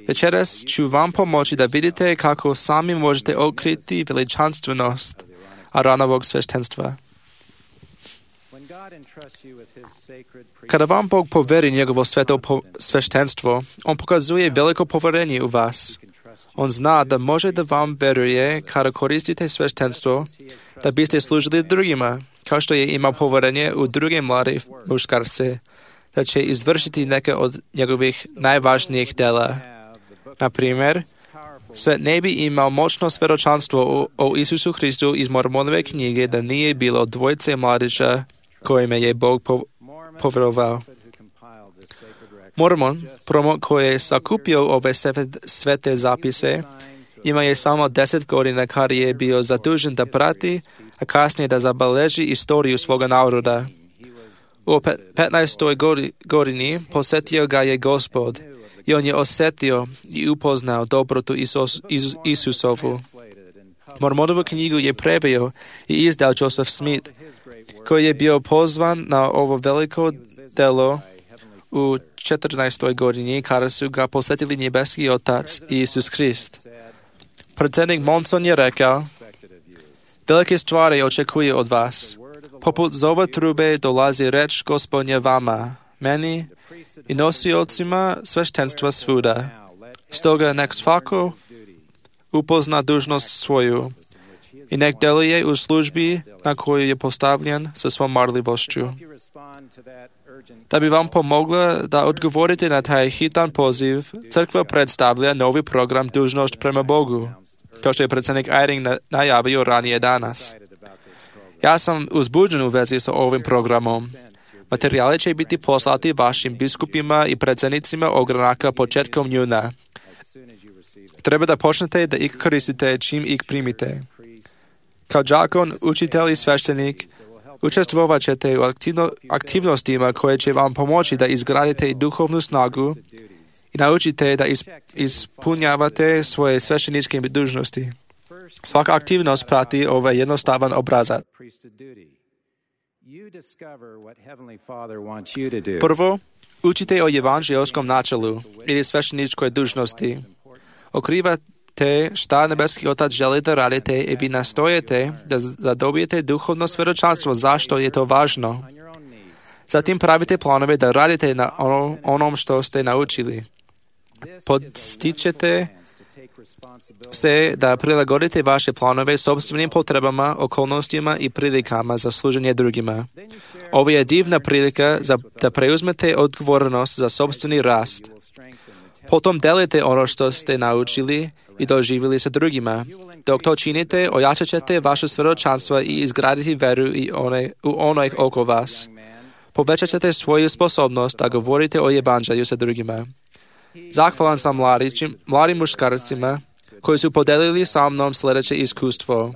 Večeras ću vam pomoći da vidite kako sami možete otkriti veličanstvenost Aaronovog sveštenstva. Kada vam Bog poveri njegovo sveto po- sveštenstvo, on pokazuje veliko poverenje u vas. On zna da može da vam veruje kada koristite sveštenstvo, da biste služili drugima, kao što je imao poverenje u druge mlade muškarce, da će izvršiti neke od njegovih najvažnijih dela. Na primjer, svet ne bi imao moćno svjedočanstvo o, o Isusu Hristu iz Mormonove knjige da nije bilo dvojice mladića kojima je Bog po, povjerovao. Mormon, promot koji je sakupio ove svete zapise, ima je samo deset godina kada je bio zadužen da prati, a kasnije da zabeleži istoriju svoga naroda. U petnaestoj godini posjetio ga je Gospod i on je osjetio i upoznao dobrotu Isus, Isus, Isusovu. Mormonovu knjigu je preveo i izdao Joseph Smith, koji je bio pozvan na ovo veliko delo u četrnaestoj godini kada su ga posjetili nebeski Otac i Isus Hrist. Predsjednik Monson je rekao, velike stvari očekuje od vas. Poput zova trube dolazi reč Gospodnja vama, meni i nosiocima sveštenstva svuda. Stoga nek svako upozna dužnost svoju i nek deluje u službi na koju je postavljen sa svom marljivošću. Da bi vam pomogla da odgovorite na taj hitan poziv, crkva predstavlja novi program Dužnost prema Bogu, kao što je predsjednik Eyring najavio ranije danas. Ja sam uzbuđen u vezi sa ovim programom. Materijali će biti poslati vašim biskupima i predsjednicima ogranaka početkom juna. Treba da počnete da ih koristite čim ih primite. Kao đakon, učitelj i sveštenik, učestvovat ćete u aktivno, aktivnostima koje će vam pomoći da izgradite duhovnu snagu i naučite da is, ispunjavate svoje svešteničke dužnosti. Svaka aktivnost prati ovaj jednostavan obrazac. Prvo, učite o evanđeoskom načelu ili svešteničkoj dužnosti. Okrivate šta nebeski Otac želi da radite i vi nastojete da zadobijete duhovno svjedočanstvo zašto je to važno. Zatim pravite planove da radite na ono, onom što ste naučili. Podstičete se da prilagodite vaše planove sobstvenim potrebama, okolnostima i prilikama za služenje drugima. Ovo je divna prilika za, da preuzmete odgovornost za sobstveni rast. Potom delite ono što ste naučili i doživjeli sa drugima. Dok to činite, ojačat ćete vaše svjedočanstva i izgraditi veru i one, u onih oko vas. Povećat ćete svoju sposobnost da govorite o evanđelju sa drugima. Zahvalan sam mladićim, mladim muškarcima koji su podelili sa mnom sljedeće iskustvo.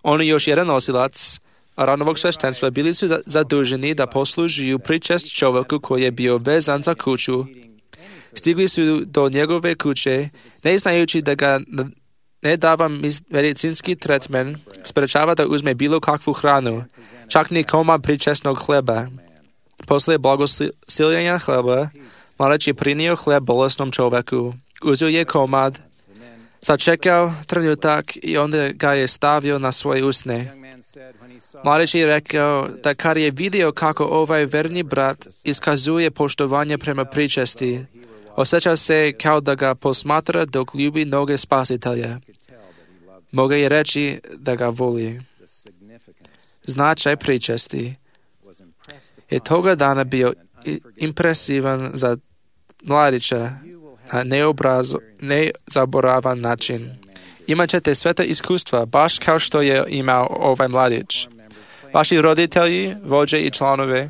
Oni još jedan nosilac Aaronovog sveštenstva bili su zaduženi da poslužuju pričest čovjeku koji je bio vezan za kuću. Stigli su do njegove kuće, ne znajući da ga ne dava medicinski tretman, sprečava da uzme bilo kakvu hranu, čak ni komad pričestnog hleba. Poslije blagosiljenja hleba, mladić je prinio hleb bolesnom čovjeku. Uzeo je komad, sačekao trenutak i onda ga je stavio na svoje usne. Mladić je rekao da kad je vidio kako ovaj verni brat iskazuje poštovanje prema pričesti, osjeća se kao da ga posmatra dok ljubi noge Spasitelja. Mogu je reći da ga voli. Značaj pričesti je toga dana bio impresivan za mladića na neobrazo, nezaboravan način. Imat ćete sveta iskustva, baš kao što je imao ovaj mladić. Vaši roditelji, vođe i članovi,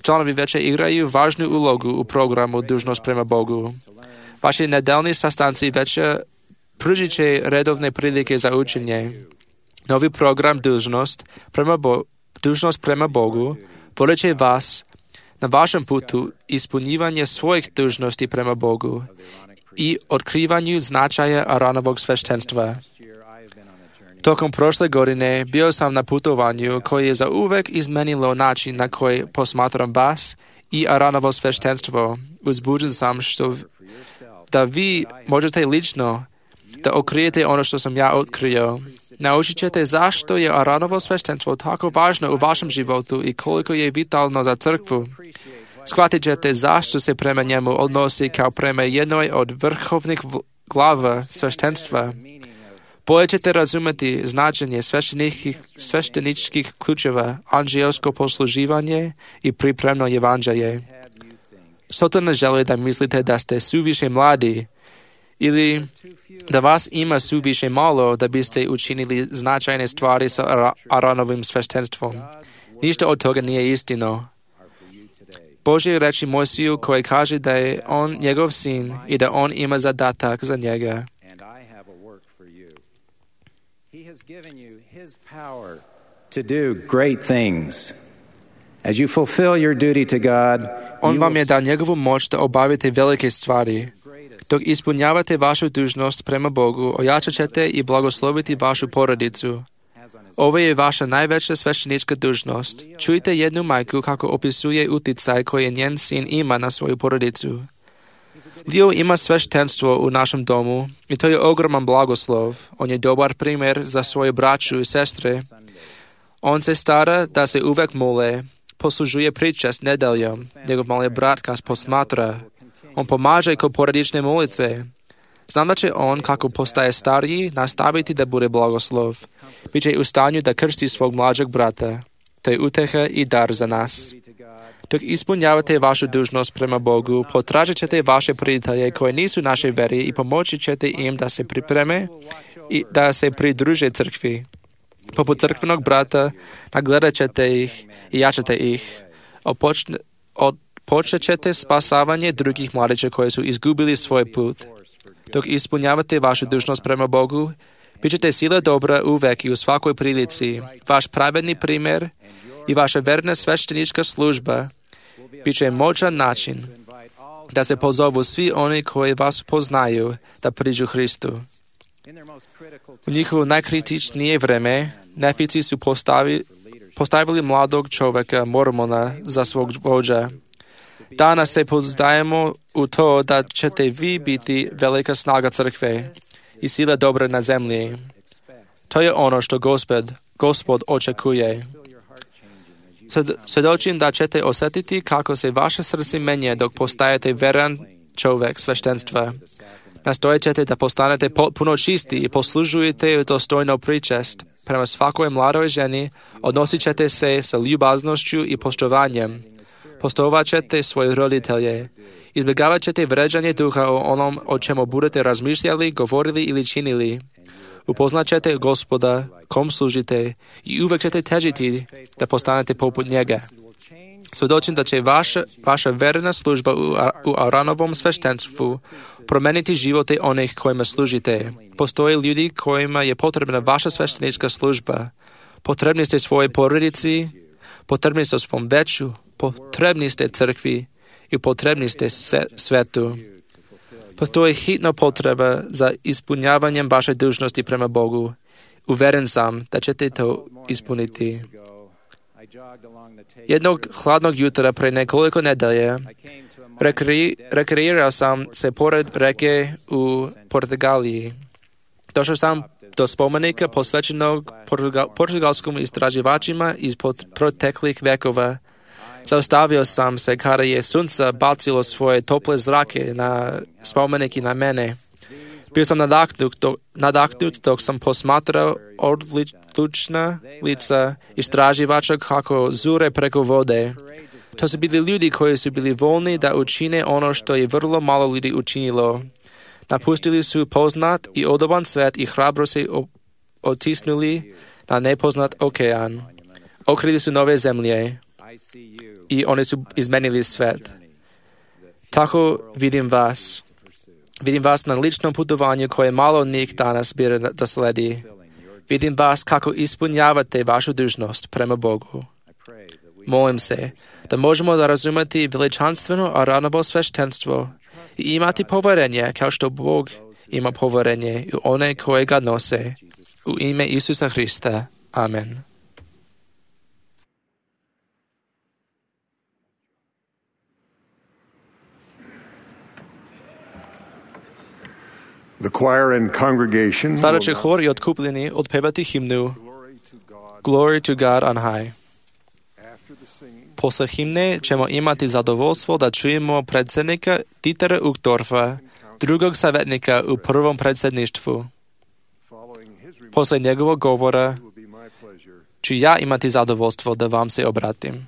članovi veće igraju važnu ulogu u programu Dužnost prema Bogu. Vaši nedeljni sastanci veće pružit će redovne prilike za učenje. Novi program Dužnost prema, Bo- Dužnost prema Bogu vodit će vas na vašem putu ispunjivanje svojih dužnosti prema Bogu i otkrivanju značaja Aaronovog sveštenstva. Tokom prošle godine bio sam na putovanju koje je zauvek izmenilo način na koji posmatram vas i Aaronovo sveštenstvo. Uzbuđen sam što da vi možete lično da otkrijete ono što sam ja otkrio. Naučit ćete zašto je Aaronovo sveštenstvo tako važno u vašem životu i koliko je vitalno za crkvu. Shvatit ćete zašto se prema njemu odnosi kao prema jednoj od vrhovnih glava sveštenstva. Bolje ćete razumjeti značenje svešteničkih ključeva, anđelsko posluživanje i pripremno evanđelje. Soto ne želi da mislite da ste suviše mladi ili da vas ima suviše malo da biste učinili značajne stvari sa Aaronovim sveštenstvom. Ništa od toga nije istino. Božje reči Mojsiju koje kaže da je on njegov sin i da on ima zadatak za njega. To do great things. As you fulfill your duty to God, on vam je dao njegovu moć da obavite velike stvari. Dok ispunjavate vašu dužnost prema Bogu, ojačat ćete i blagosloviti vašu porodicu. Ovo je vaša najveća sveštenička dužnost. Čujte jednu majku kako opisuje uticaj koji njen sin ima na svoju porodicu. Leo ima sveštenstvo u našem domu i to je ogroman blagoslov. On je dobar primjer za svoju braću i sestre. On se stara da se uvek mole, poslužuje pričest nedeljom. Njegov mali brat ga posmatra. On pomaže kod porodične molitve. Znam da će on, kako postaje stariji, nastaviti da bude blagoslov. Biće u stanju da krsti svog mlađeg brata. To je uteha i dar za nas. Dok ispunjavate vašu dužnost prema Bogu, potražit ćete vaše prijatelje koje nisu naše veri i pomoći ćete im da se pripreme i da se pridruže crkvi. Poput crkvenog brata, nagledat ćete ih i jačate ih. Opočne, odpočet ćete spasavanje drugih mladića koji su izgubili svoj put. Dok ispunjavate vašu dužnost prema Bogu, bit ćete sila dobra uvek i u svakoj prilici. Vaš pravedni primjer i vaša verna sveštenička služba bit će moćan način da se pozovu svi oni koji vas poznaju da priđu Hristu. U njihovo najkritičnije vreme nefici su postavi, postavili mladog čovjeka Mormona za svog vođa. Danas se pouzdajemo u to da ćete vi biti velika snaga crkve i sila dobra na zemlji. To je ono što Gospod, Gospod očekuje. Svjedočim da ćete osjetiti kako se vaše srce menje dok postajete veran čovjek sveštenstva. Nastojat ćete da postanete potpuno čisti i poslužujete dostojno pričest. Prema svakoj mladoj ženi odnosit ćete se sa ljubaznošću i poštovanjem. Postovat ćete svoje roditelje. Izbjegavat ćete vređanje duha o onom o čemu budete razmišljali, govorili ili činili. Upoznat ćete Gospoda, kom služite i uvek ćete težiti da postanete poput njega. Svjedočim da će vaša, vaša verna služba u, u Aaronovom sveštenstvu promeniti živote onih kojima služite. Postoje ljudi kojima je potrebna vaša sveštenička služba. Potrebni ste svojoj porodici, potrebni ste svom veću, potrebni ste crkvi i potrebni ste svetu. Postoji hitna potreba za ispunjavanjem vaše dužnosti prema Bogu. Uveren sam da ćete to ispuniti. Jednog hladnog jutra pre nekoliko nedelje rekre, rekreirao sam se pored reke u Portugaliji. Došao sam do spomenika posvećenog portugalskom istraživačima iz proteklih vekova. Zaustavio sam se kada je sunce bacilo svoje tople zrake na spomenik i na mene. Bio sam nadahnut, dok, nadahnut dok sam posmatrao odlična lica istraživača kako zure preko vode. To su bili ljudi koji su bili voljni da učine ono što je vrlo malo ljudi učinilo. Napustili su poznat i odoban svet i hrabro se otisnuli na nepoznat okean. Okrili su nove zemlje i oni su izmenili svet. Tako vidim vas. Vidim vas na ličnom putovanju koje malo njih danas bira da sledi. Vidim vas kako ispunjavate vašu dužnost prema Bogu. Molim se da možemo da razumeti veličanstveno Aronovo sveštenstvo i imati poverenje kao što Bog ima poverenje u one koje ga nose. U ime Isusa Hrista. Amen. The choir and congregation Sada će hor i otkupljeni odpevati himnu Glory to God on high. Posle himne ćemo imati zadovoljstvo da čujemo predsjednika Dietera Uchtdorfa, drugog savjetnika u prvom predsjedništvu. Posle njegovog govora ću ja imati zadovoljstvo da vam se obratim.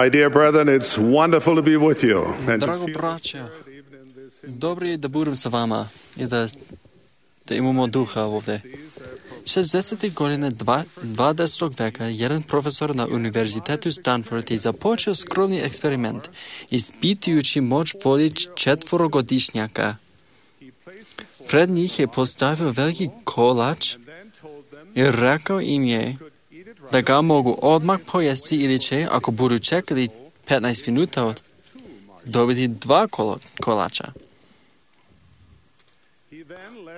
My dear brethren, it's wonderful to be with you. And to Drago feel braća, dobro je da budem sa vama i da, da imamo duha ovdje. šezdesetih godina dvadesetog veka jedan profesor na Univerzitetu Stanford je započeo skromni eksperiment, ispitujući moć voli četvorogodišnjaka. Pred njih je postavio veliki kolač i rekao im je da ga mogu odmah pojesti ili će, ako budu čekali petnaest minuta, dobiti dva kolača.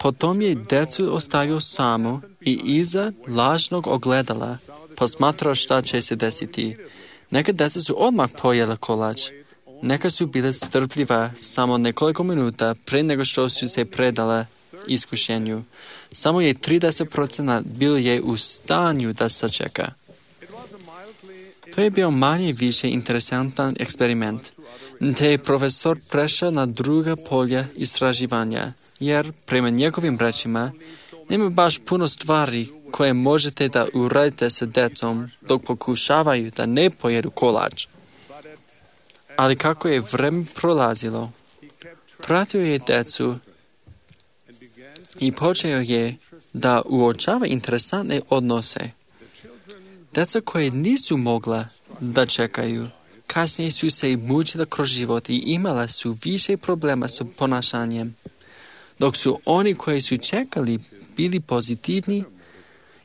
Potom je decu ostavio samo i iza lažnog ogledala posmatrao šta će se desiti. Neka deca su odmah pojela kolač. Neka su bile strpljiva samo nekoliko minuta pre nego što su se predala iskušenju. Samo je trideset posto bilo je u stanju da sačeka. To je bio manje više interesantan eksperiment, te je profesor prešao na druga polja istraživanja, jer prema njegovim rečima nema baš puno stvari koje možete da uradite sa decom dok pokušavaju da ne pojedu kolač. Ali kako je vreme prolazilo, pratio je decu i počeo je da uočava interesantne odnose. Deca koje nisu mogla da čekaju, kasnije su se mučila kroz život i imala su više problema sa ponašanjem, dok su oni koji su čekali bili pozitivni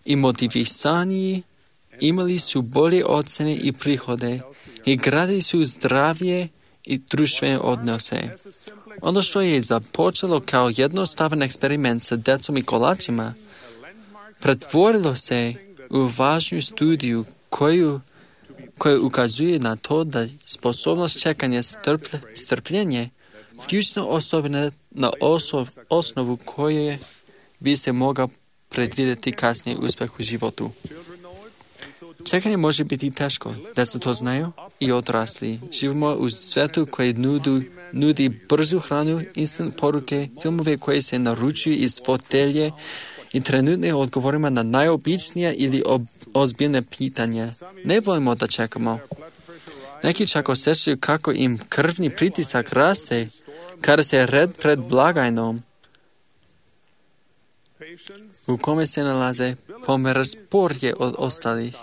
i motivisaniji, imali su bolje ocene i prihode i gradili su zdravije i društvene odnose. Ono što je započelo kao jednostavan eksperiment sa decom i kolačima, pretvorilo se u važnu studiju koju, koju ukazuje na to da sposobnost čekanja strplj, strpljenje ključna osobina na osov, osnovu koje bi se mogao predvidjeti kasnije uspjeh u životu. Čekanje može biti teško, deca to znaju i odrasli. Živimo u svijetu koji nudu, nudi brzu hranu, instant poruke, filmove koje se naručuju iz fotelje i trenutne odgovorima na najobičnija ili ob, ozbiljne pitanja. Ne volimo da čekamo. Neki čak osjećaju kako im krvni pritisak raste kada se red pred blagajnom u kome se nalaze pomera sporije od ostalih.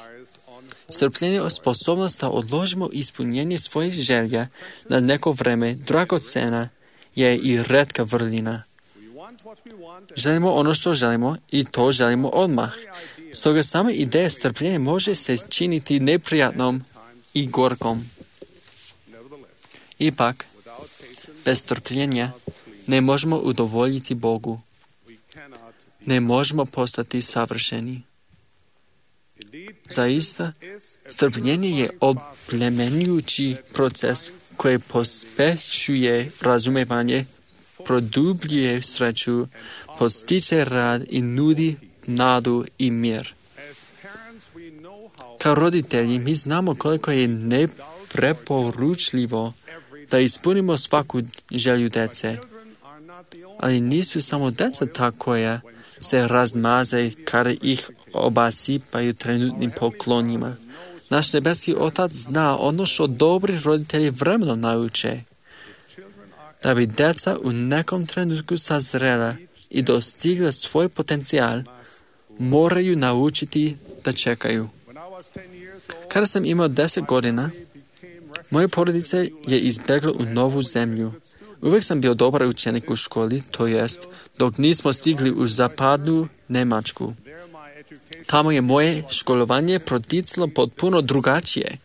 Strpljenje je sposobnost da odložimo ispunjenje svojih želja na neko vreme, dragocena je i retka vrlina. Želimo ono što želimo i to želimo odmah. Stoga sama ideja strpljenja može se činiti neprijatnom i gorkom. Ipak, bez strpljenja ne možemo udovoljiti Bogu. Ne možemo postati savršeni. Zaista, strpljenje je oplemenjujući proces koji pospešuje razumevanje, produbljuje sreću, podstiče rad i nudi nadu i mir. Kao roditelji mi znamo koliko je nepreporučljivo da ispunimo svaku želju dece. Ali nisu samo deca ta koja se razmaze kada ih obasipaju trenutnim poklonima. Naš nebeski Otac zna ono što dobri roditelji vremenom nauče. Da bi deca u nekom trenutku sazrela i dostigla svoj potencijal, moraju naučiti da čekaju. Kada sam imao deset godina, moja porodica je izbjegla u novu zemlju. Uvijek sam bio dobar učenik u školi, to jest dok nismo stigli u zapadnu Njemačku. Tamo je moje školovanje proticalo potpuno drugačije.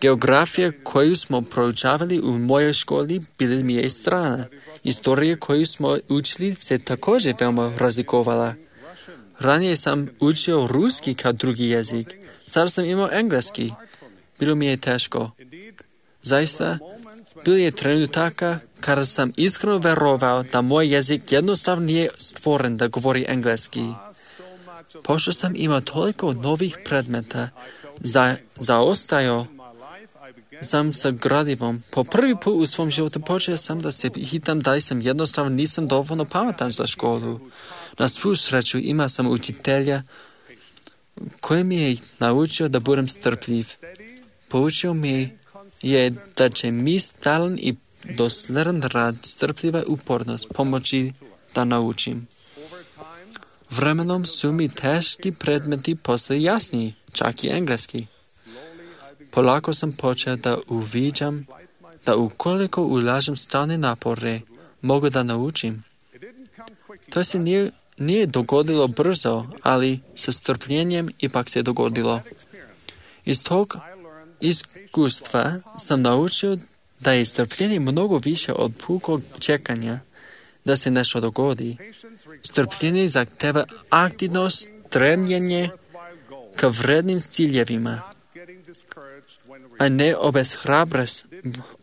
Geografija koju smo proučavali u mojoj školi bila mi je strana. Istorija koju smo učili se također veoma razlikovala. Ranije sam učio ruski kao drugi jezik. Sada sam imao engleski. Bilo mi je teško. Zaista, bilo je trenutaka kada sam iskreno verovao da moj jezik jednostavno nije stvoren da govori engleski. Pošto sam imao toliko novih predmeta, za, zaostajao sam sa gradivom. Po prvi put u svom životu počeo sam da se hitam da li sam jednostavno nisam dovoljno pametan za školu. Na svu sreću imao sam učitelja koji mi je naučio da budem strpljiv. Poučio mi je da će mi stalan i dosledan rad, strpljiva upornost pomoći da naučim. Vremenom su mi teški predmeti postali jasniji, čak i engleski. Polako sam počeo da uviđam da ukoliko ulažem stalne napore, mogu da naučim. To se nije, nije dogodilo brzo, ali sa strpljenjem ipak se dogodilo. Iz tog iskustva sam naučio da je strpljenje mnogo više od pukog čekanja. da se nešto dogodi. Strpljenje zahteva aktivnost, stremljenje ka vrednim ciljevima, a ne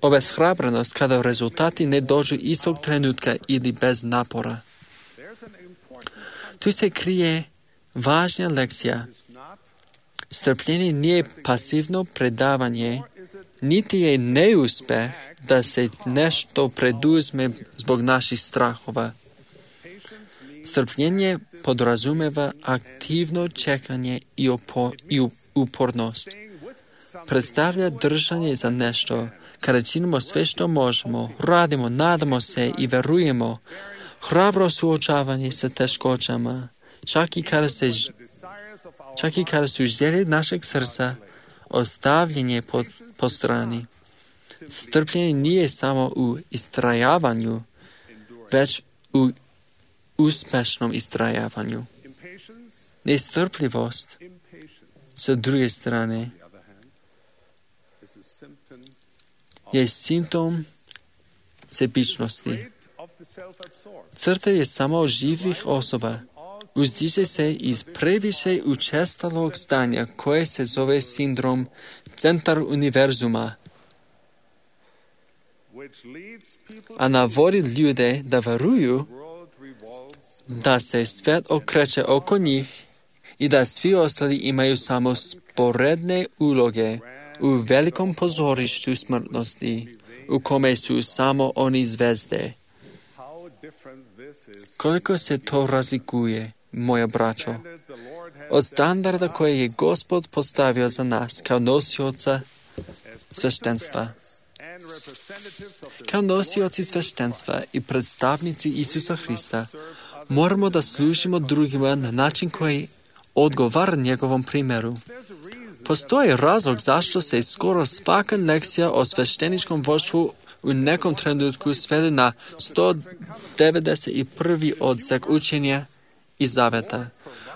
obeshrabrenost kada rezultati ne dođu istog trenutka ili bez napora. Tu se krije važna lekcija. Strpljenje nije pasivno predavanje, niti je neuspeh da se nešto preduzme zbog naših strahova. Strpljenje podrazumeva aktivno čekanje i, opo, i upornost. Predstavlja držanje za nešto, kada činimo sve što možemo, radimo, nadamo se i verujemo, hrabro suočavanje sa teškoćama, čak i kada, se, čak i kada su želje našeg srca ostavljenje po, po strani. Strpljenje nije samo u istrajavanju, već u uspešnom istrajavanju. Nestrpljivost, sa druge strane, je simptom sebičnosti. Crta je samo živih osoba. Uzdiže se iz previše učestalog stanja koje se zove sindrom centar univerzuma, a navodi ljude da veruju da se svet okreće oko njih i da svi ostali imaju samo sporedne uloge u velikom pozorištu smrtnosti, u kome su samo oni zvezde. Koliko se to razlikuje, moja braćo, od standarda koje je Gospod postavio za nas kao nosioca sveštenstva. Kao nosioci sveštenstva i predstavnici Isusa Hrista moramo da služimo drugima na način koji odgovara njegovom primjeru. Postoji razlog zašto se skoro svaka lekcija o svešteničkom vođstvu u nekom trenutku svede na sto devedeset prvi odsek učenja i zaveta.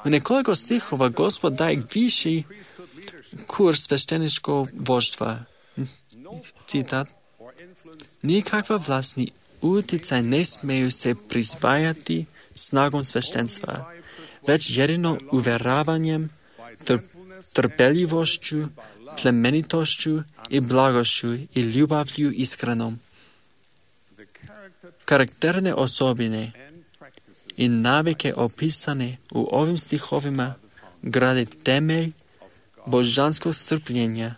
U nekoliko stihova Gospod daje viši kurs svešteničkog vođstva. Citat. Nikakva vlast ni utjecaj ne smeju se prisvajati snagom sveštenstva, već jedino uvjeravanjem, tr- trpeljivošću, plemenitošću i blagošću i ljubavlju iskrenom. Karakterne osobine i navike opisane u ovim stihovima grade temelj božanskog strpljenja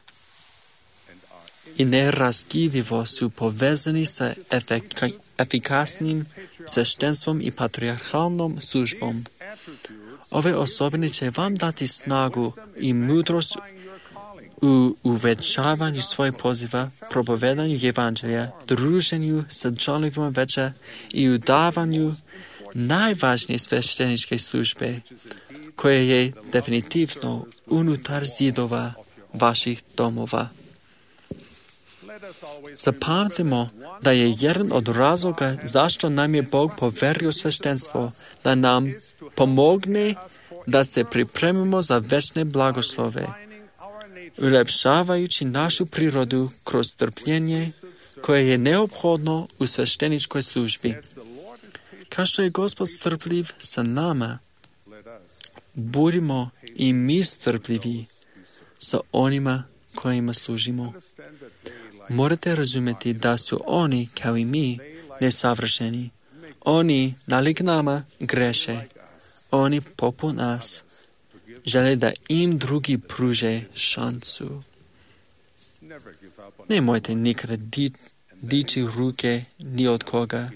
i neraskidivo su povezani sa efika, efikasnim sveštenstvom i patrijarhalnom službom. Ove osobine će vam dati snagu i mudrost u uvećavanju svojeg poziva, propovedanju evanđelja, druženju sa članovima veća i u davanju najvažnije svešteničke službe, koje je definitivno unutar zidova vaših domova. Zapamtimo da je jedan od razloga zašto nam je Bog poverio sveštenstvo, da nam pomogne da se pripremimo za večne blagoslove, ulepšavajući našu prirodu kroz strpljenje koje je neophodno u svešteničkoj službi. Kao što je Gospod strpljiv sa nama, budimo i mi strpljivi sa onima kojima služimo. Morate razumjeti da su oni, kao i mi, nesavršeni. Oni, nalik nama, greše. Oni, poput nas, žele da im drugi pruže šansu. Nemojte nikada di, dići ruke ni od koga,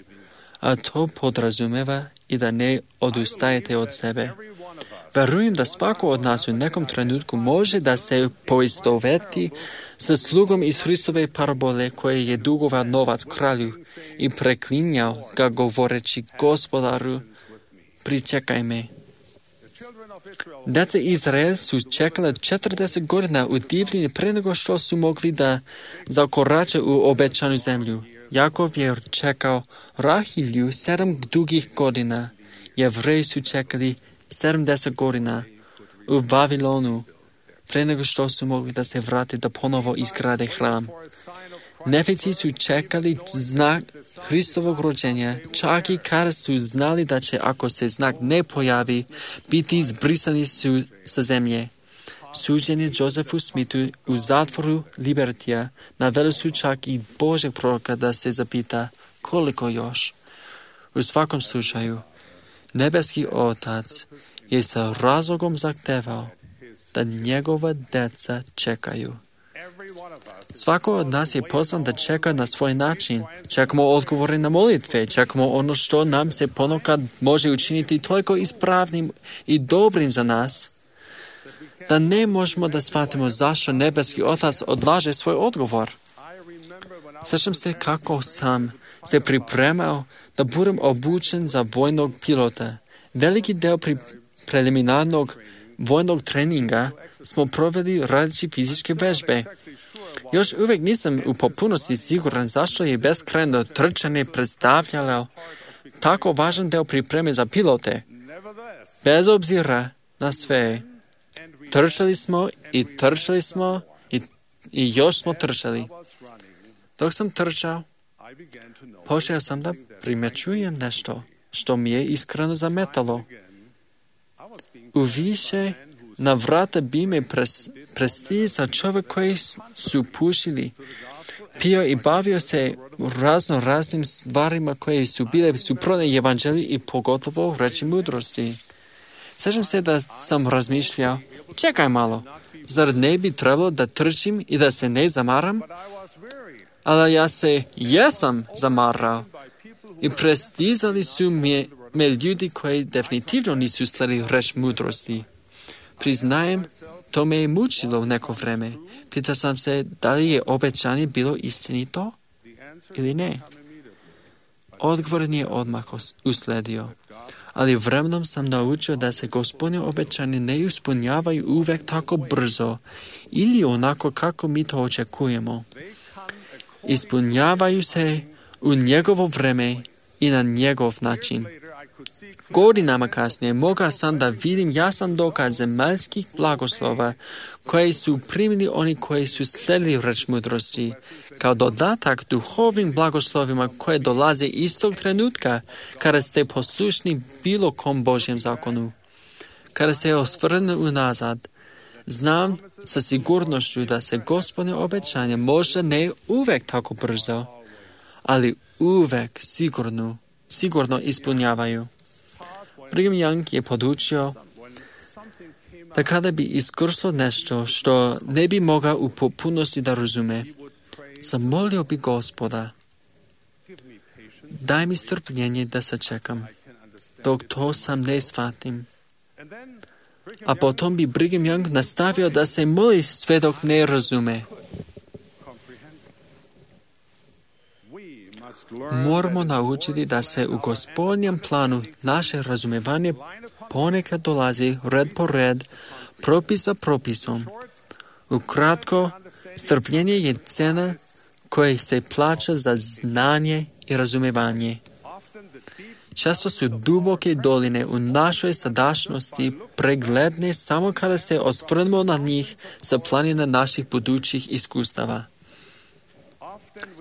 a to podrazumeva i da ne odustajete od sebe. Verujem da svako od nas u nekom trenutku može da se poistoveti sa slugom iz Hristove parabole koje je dugovao novac kralju i preklinjao ga govoreći Gospodaru, pričekaj me. Djeca Izrael su čekala četrdeset godina u divljini pre nego što su mogli da zakorače u obećanu zemlju. Jakov je čekao Rahilju sedam dugih godina. Jevreji su čekali sedamdeset godina u Vavilonu pre nego što su mogli da se vrate da ponovo izgrade hram. Nefici su čekali znak Hristovog rođenja, čak i kada su znali da će, ako se znak ne pojavi, biti izbrisani su sa zemlje. Suđenje Josefu Smithu u zatvoru Libertija naveli su čak i Božeg proroka da se zapita koliko još. U svakom slučaju, nebeski Otac je sa razlogom zahtevao da njegova deca čekaju. Svako od nas je pozvan da čeka na svoj način. Čekamo odgovore na molitve, čekamo ono što nam se ponekad može učiniti toliko ispravnim i dobrim za nas, da ne možemo da shvatimo zašto nebeski Otac odlaže svoj odgovor. Sjećam se kako sam se pripremao da budem obučen za vojnog pilota. Veliki deo pri preliminarnog vojnog treninga smo proveli radeći fizičke vežbe. Još uvijek nisam u potpunosti siguran zašto je beskrajno trčanje predstavljalo tako važan deo pripreme za pilote. Bez obzira na sve, trčali smo i trčali smo i, i još smo trčali. Dok sam trčao, počeo sam da primjećujem nešto što mi je iskreno zametalo. U više navrata bi me pres, prestizao čovjek koji su pušili, pio i bavio se razno raznim stvarima koje su bile suprotne evanđelju i pogotovo reči mudrosti. Sjećam se da sam razmišljao, čekaj malo, zar ne bi trebalo da trčim i da se ne zamaram? Ali ja se jesam zamarao i prestizali su me, me ljudi koji definitivno nisu sledili reč mudrosti. Priznajem, to me je mučilo u neko vreme. Pitao sam se da li je obećanje bilo istinito ili ne. Odgovor nije odmah usledio, ali vremenom sam naučio da se Gospodine obećanje ne ispunjavaju uvek tako brzo ili onako kako mi to očekujemo. Ispunjavaju se u njegovo vreme i na njegov način. Godinama kasnije mogao sam da vidim jasan dokaz zemaljskih blagoslova koje su primili oni koji su sledili reč mudrosti, kao dodatak duhovnim blagoslovima koje dolaze istog trenutka kada ste poslušni bilo kom Božjem zakonu. Kada se osvrnu unazad, znam sa sigurnošću da se Gospodine obećanje možda ne uvek tako brzo, ali uvek sigurno, sigurno ispunjavaju. Brigham Young je podučio da kada bi iskursao nešto što ne bi mogao u potpunosti da razume, zamolio bi Gospoda, daj mi strpljenje da sačekam, dok to sam ne shvatim. A potom bi Brigham Young nastavio da se moli sve dok ne razume. Moramo naučiti da se u Gospodnjem planu naše razumevanje ponekad dolazi red po red, propis za propisom. Ukratko, strpljenje je cena koja se plaća za znanje i razumevanje. Često su duboke doline u našoj sadašnjosti pregledne samo kada se osvrnemo na njih sa planina naših budućih iskustava.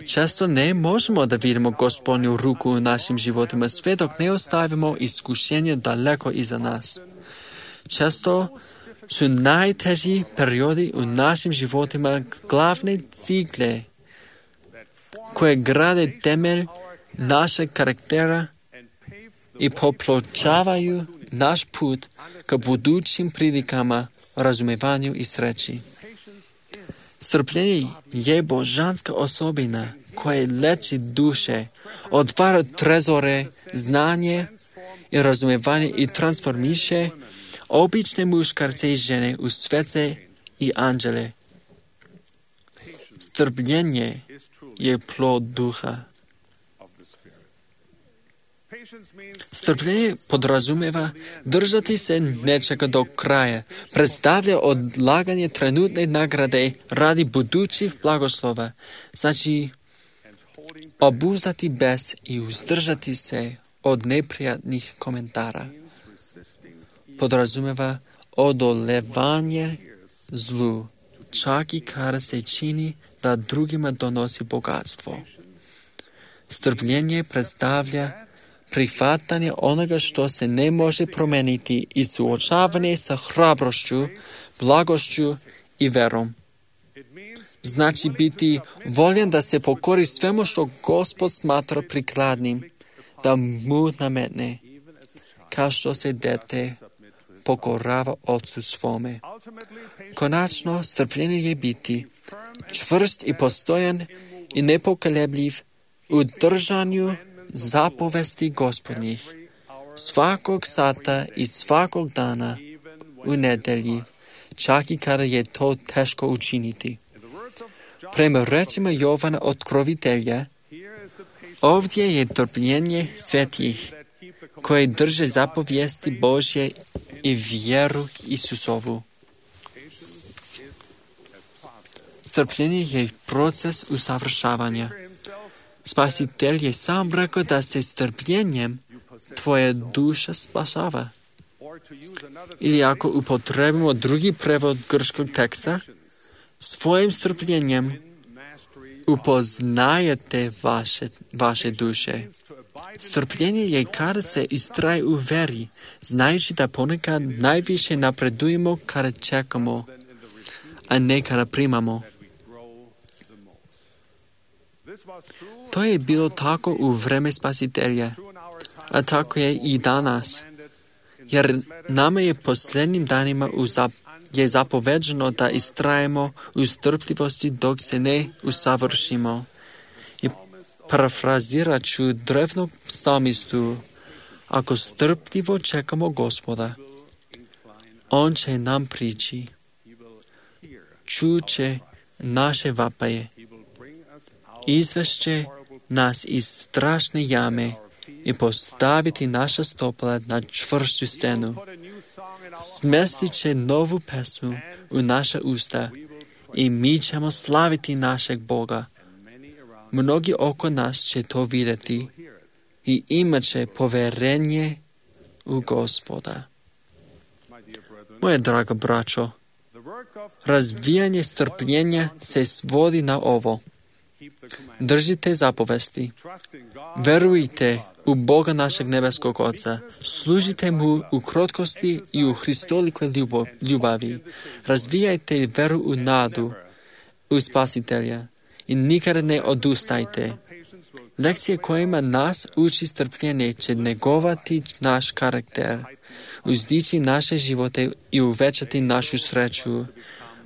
Često ne možemo da vidimo Gospodnju ruku u našim životima sve dok ne ostavimo iskušenje daleko iza nas. Često su najteži periodi u našim životima glavne cigle koje grade temelj našeg karaktera i popločavaju naš put ka budućim prilikama, razumevanju i sreći. Strpljenje je božanska osobina koja leči duše, otvara trezore, znanje i razumevanje i transformiše obične muškarce i žene u svece i anđele. Strpljenje je plod duha. Strpljenje podrazumeva držati se nečega do kraja, predstavlja odlaganje trenutne nagrade radi budućih blagoslova, znači obuzdati bes i uzdržati se od neprijatnih komentara. Podrazumeva odolevanje zlu, čak i kada se čini da drugima donosi bogatstvo. Strpljenje predstavlja prihvatanje onoga što se ne može promeniti i suočavanje sa hrabrošću, blagošću i verom. Znači biti voljen da se pokori svemu što Gospod smatra prikladnim, da mu nametne, kao što se dete pokorava ocu svome. Konačno, strpljenje je biti čvrst i postojan i nepokolebljiv u držanju zapovesti Gospodnjih, svakog sata i svakog dana u nedelji, čak i kada je to teško učiniti. Prema rečima Jovana Otkrovitelja, ovdje je trpljenje svetih, koji drže zapovijesti Božje i vjeru Isusovu. Strpljenje je proces usavršavanja. Spasitelj je sam rekao da se strpljenjem tvoja duša spašava. Ili ako upotrebimo drugi prevod grčkog teksta, svojim strpljenjem upoznajete vaše, vaše duše. Strpljenje je kada se istraje u veri, znajući da ponekad najviše napredujemo kada čekamo, a ne kada primamo. To je bilo tako u vreme Spasitelja, a tako je i danas. Jer nama je posljednjim danima uzap, je zapoveđeno da istrajemo u strpljivosti dok se ne usavršimo. I parafrazirat ću drevnog psalmistu, ako strpljivo čekamo Gospoda, on će nam prići, čuće naše vapaje, izvešće nas iz strašne jame i postaviti naša stopala na čvrstu stenu. Smestit će novu pesmu u naša usta i mi ćemo slaviti našeg Boga. Mnogi oko nas će to vidjeti i imat će poverenje u Gospoda. Moje draga braćo, razvijanje strpljenja se svodi na ovo. Držite zapovesti, verujte u Boga našeg nebeskog Oca, služite mu u krotkosti i u Hristolikoj ljubavi, razvijajte veru u nadu, u Spasitelja i nikada ne odustajte. Lekcije kojima nas uči strpljenje će negovati naš karakter, uzdići naše živote i uvećati našu sreću.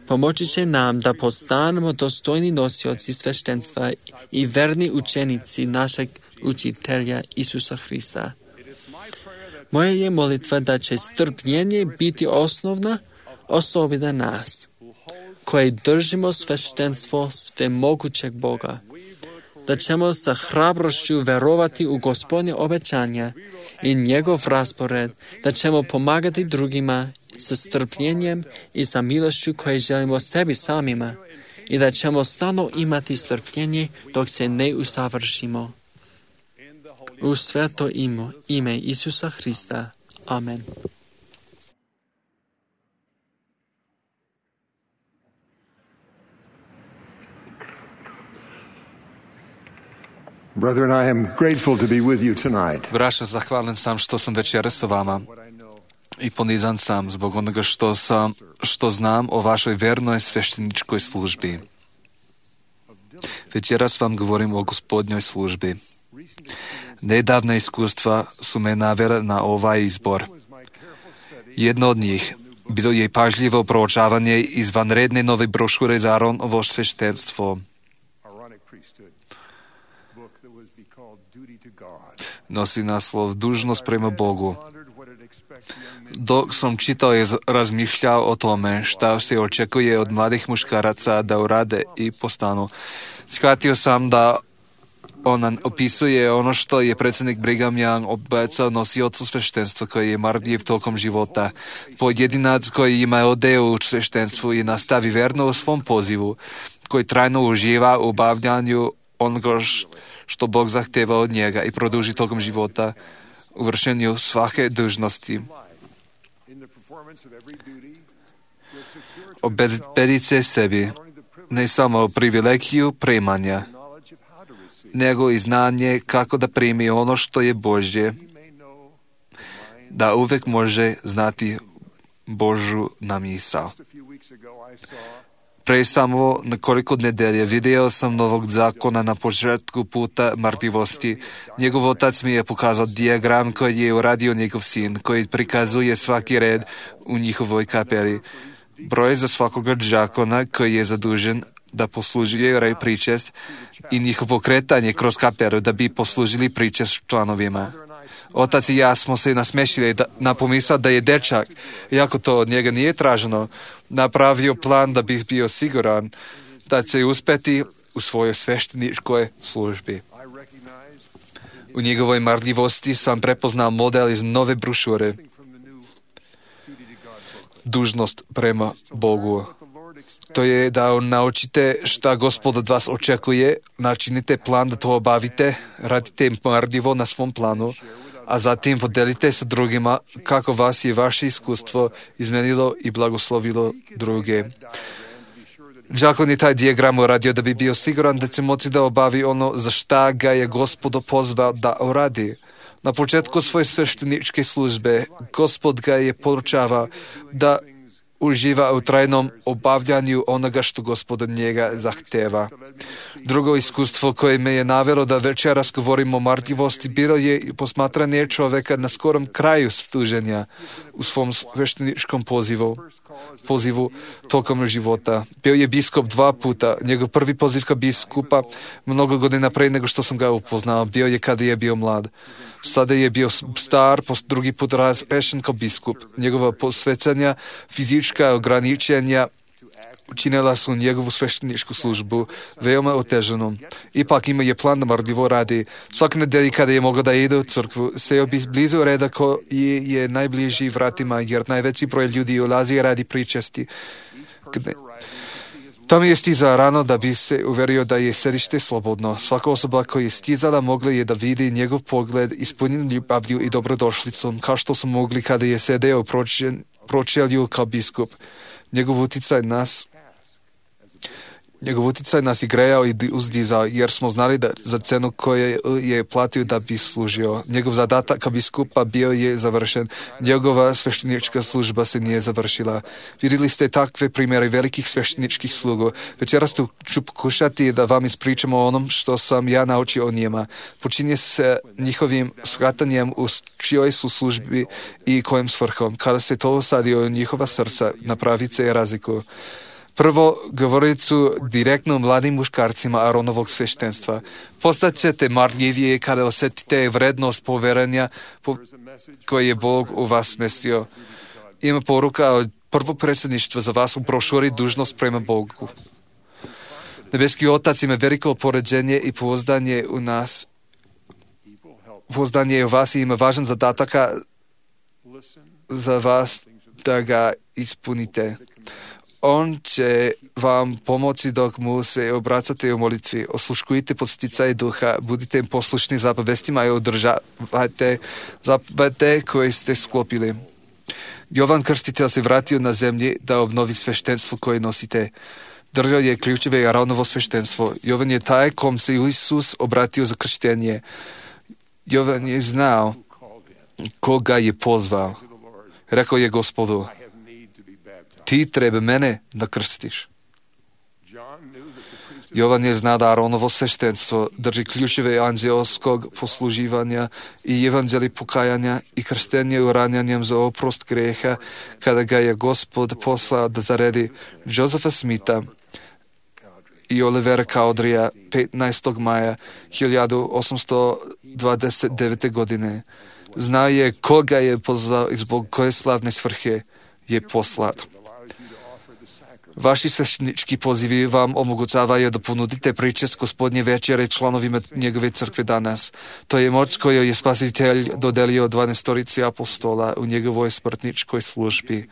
Pomoći će nam da postanemo dostojni nosioci sveštenstva i verni učenici našeg učitelja Isusa Hrista. Moja je molitva da će strpljenje biti osnovna osobina nas, koji držimo sveštenstvo svemogućeg Boga, da ćemo sa hrabrošću verovati u Gospodnje obećanja i njegov raspored, da ćemo pomagati drugima sa strpljenjem i sa milošću koje želimo sebi samima i da ćemo stalno imati strpljenje dok se ne usavršimo. U sveto ime, ime Isusa Hrista. Amen. Brethren, I am grateful to be with you tonight. Braća, zahvalan sam što sam večeras sa vama i ponizan sam zbog onoga što sam, što znam o vašoj vernoj svešteničkoj službi. Večeras vam govorim o Gospodnjoj službi. Nedavna iskustva su me navela na ovaj izbor. Jedno od njih bilo je pažljivo proučavanje izvanredne nove brošure za Aaronovo sveštenstvo. Nosi naslov Dužnost prema Bogu. Dok sam čitao i razmišljao o tome šta se očekuje od mladih muškaraca da urade i postanu, shvatio sam da on opisuje ono što je predsjednik Brigham Young obećao nosiocu sveštenstva koji je marljiv tokom života. Pojedinac koji ima odeo u sveštenstvu i nastavi verno u svom pozivu, koji trajno uživa u obavljanju onoga što Bog zahteva od njega i produži tokom života u vršenju svake dužnosti. Obezbedite sebi ne samo privilegiju primanja, nego i znanje kako da primi ono što je Božje, da uvek može znati Božju namisao. Pre samo nekoliko nedelje vidio sam novog zakona na početku puta marljivosti. Njegov otac mi je pokazao dijagram koji je uradio njegov sin, koji prikazuje svaki red u njihovoj kapeli. Broj za svakoga zakona koji je zadužen da poslužuje rej pričest i njihovo kretanje kroz kapelu da bi poslužili pričest članovima. Otac i ja smo se nasmešili da, na pomisao da je dečak, iako to od njega nije traženo, napravio plan da bi bio siguran da će uspeti u svojoj svešteničkoj službi. U njegovoj marljivosti sam prepoznao model iz nove brošure. Dužnost prema Bogu. To je da naučite šta Gospod od vas očekuje, načinite plan da to obavite, radite marljivo na svom planu, a zatim podelite sa drugima kako vas je vaše iskustvo izmenilo i blagoslovilo druge. Đakon je taj dijagram uradio da bi bio siguran da će moći da obavi ono za šta ga je Gospod pozvao da uradi. Na početku svoje svešteničke službe Gospod ga je poručavao da uživa u trajnom obavljanju onoga što Gospod od njega zahteva. Drugo iskustvo koje me je navelo da večeras govorimo o marljivosti bilo je posmatranje čoveka na skorom kraju služenja u svom svešteničkom pozivu, pozivu tokom života. Bio je biskup dva puta. Njegov prvi poziv kao biskupa mnogo godina pre nego što sam ga upoznao bio je kada je bio mlad. Sada je bio star, drugi put razrešen kao biskup. Njegova posvećanja, fizička ograničenja učinila su njegovu svešteničku službu veoma oteženom. Ipak ima je plan da marljivo radi. Svake nedelje kada je mogao da ide u crkvu, seo bi blizu reda koji je najbliži vratima, jer najveći broj ljudi ulazi radi pričesti. Tam je stizao rano da bi se uverio da je sedište slobodno. Svaka osoba koja je stizala mogla je da vidi njegov pogled ispunjen ljubavlju i dobrodošlicom, kao što su mogli kada je sedeo u pročelju kao biskup. Njegov uticaj nas Njegov uticaj nas je grejao i uzdizao, jer smo znali da za cenu koju je platio da bi služio. Njegov zadatak kao biskupa bio je završen. Njegova sveštenička služba se nije završila. Vidjeli ste takve primjere velikih svešteničkih slugu. Večeras tu ću pokušati da vam ispričam o onom što sam ja naučio o njima. Počinje se njihovim shvatanjem u čijoj su službi i kojim svrhom. Kada se to usadio u njihova srca, napravit se razliku. Prvo, govorit su direktno mladim muškarcima Aronovog sveštenstva. Postaćete marljivije kada osjetite vrednost poverenja po koje je Bog u vas smestio. Ima poruka od prvog predsjedništva za vas u brošuri Dužnost prema Bogu. Nebeski Otac ima veliko poređenje i pouzdanje u nas. Pouzdanje u vas ima važan zadataka za vas da ga ispunite. On će vam pomoći dok mu se obracate u molitvi. Osluškujte podsticaj duha, budite poslušni zapovestima i održavajte zapovede koje ste sklopili. Jovan Krstitelj se vratio na zemlji da obnovi sveštenstvo koje nosite. Držao je ključeve Aronovo sveštenstvo. Jovan je taj kom se Isus obratio za krštenje. Jovan je znao koga je pozvao. Rekao je Gospodu: ti treba mene da krstiš. Jovan je znao da Aronovo sveštenstvo drži ključeve anđelskog posluživanja i evanđeli pokajanja i krštenje uranjanjem za oprost greha, kada ga je Gospod poslao da zaredi Josefa Smitha i Olivera Cowdreya petnaestog maja hiljadu osamsto dvadeset devete. godine. Znao je koga je pozvao i zbog koje slavne svrhe je poslat. Vaši sveštenički pozivi vam omogućavaju da ponudite pričest Gospodnje večere članovima njegove crkve danas. To je moć koju je Spasitelj dodelio dvanaestorici apostola u njegovoj smrtničkoj službi.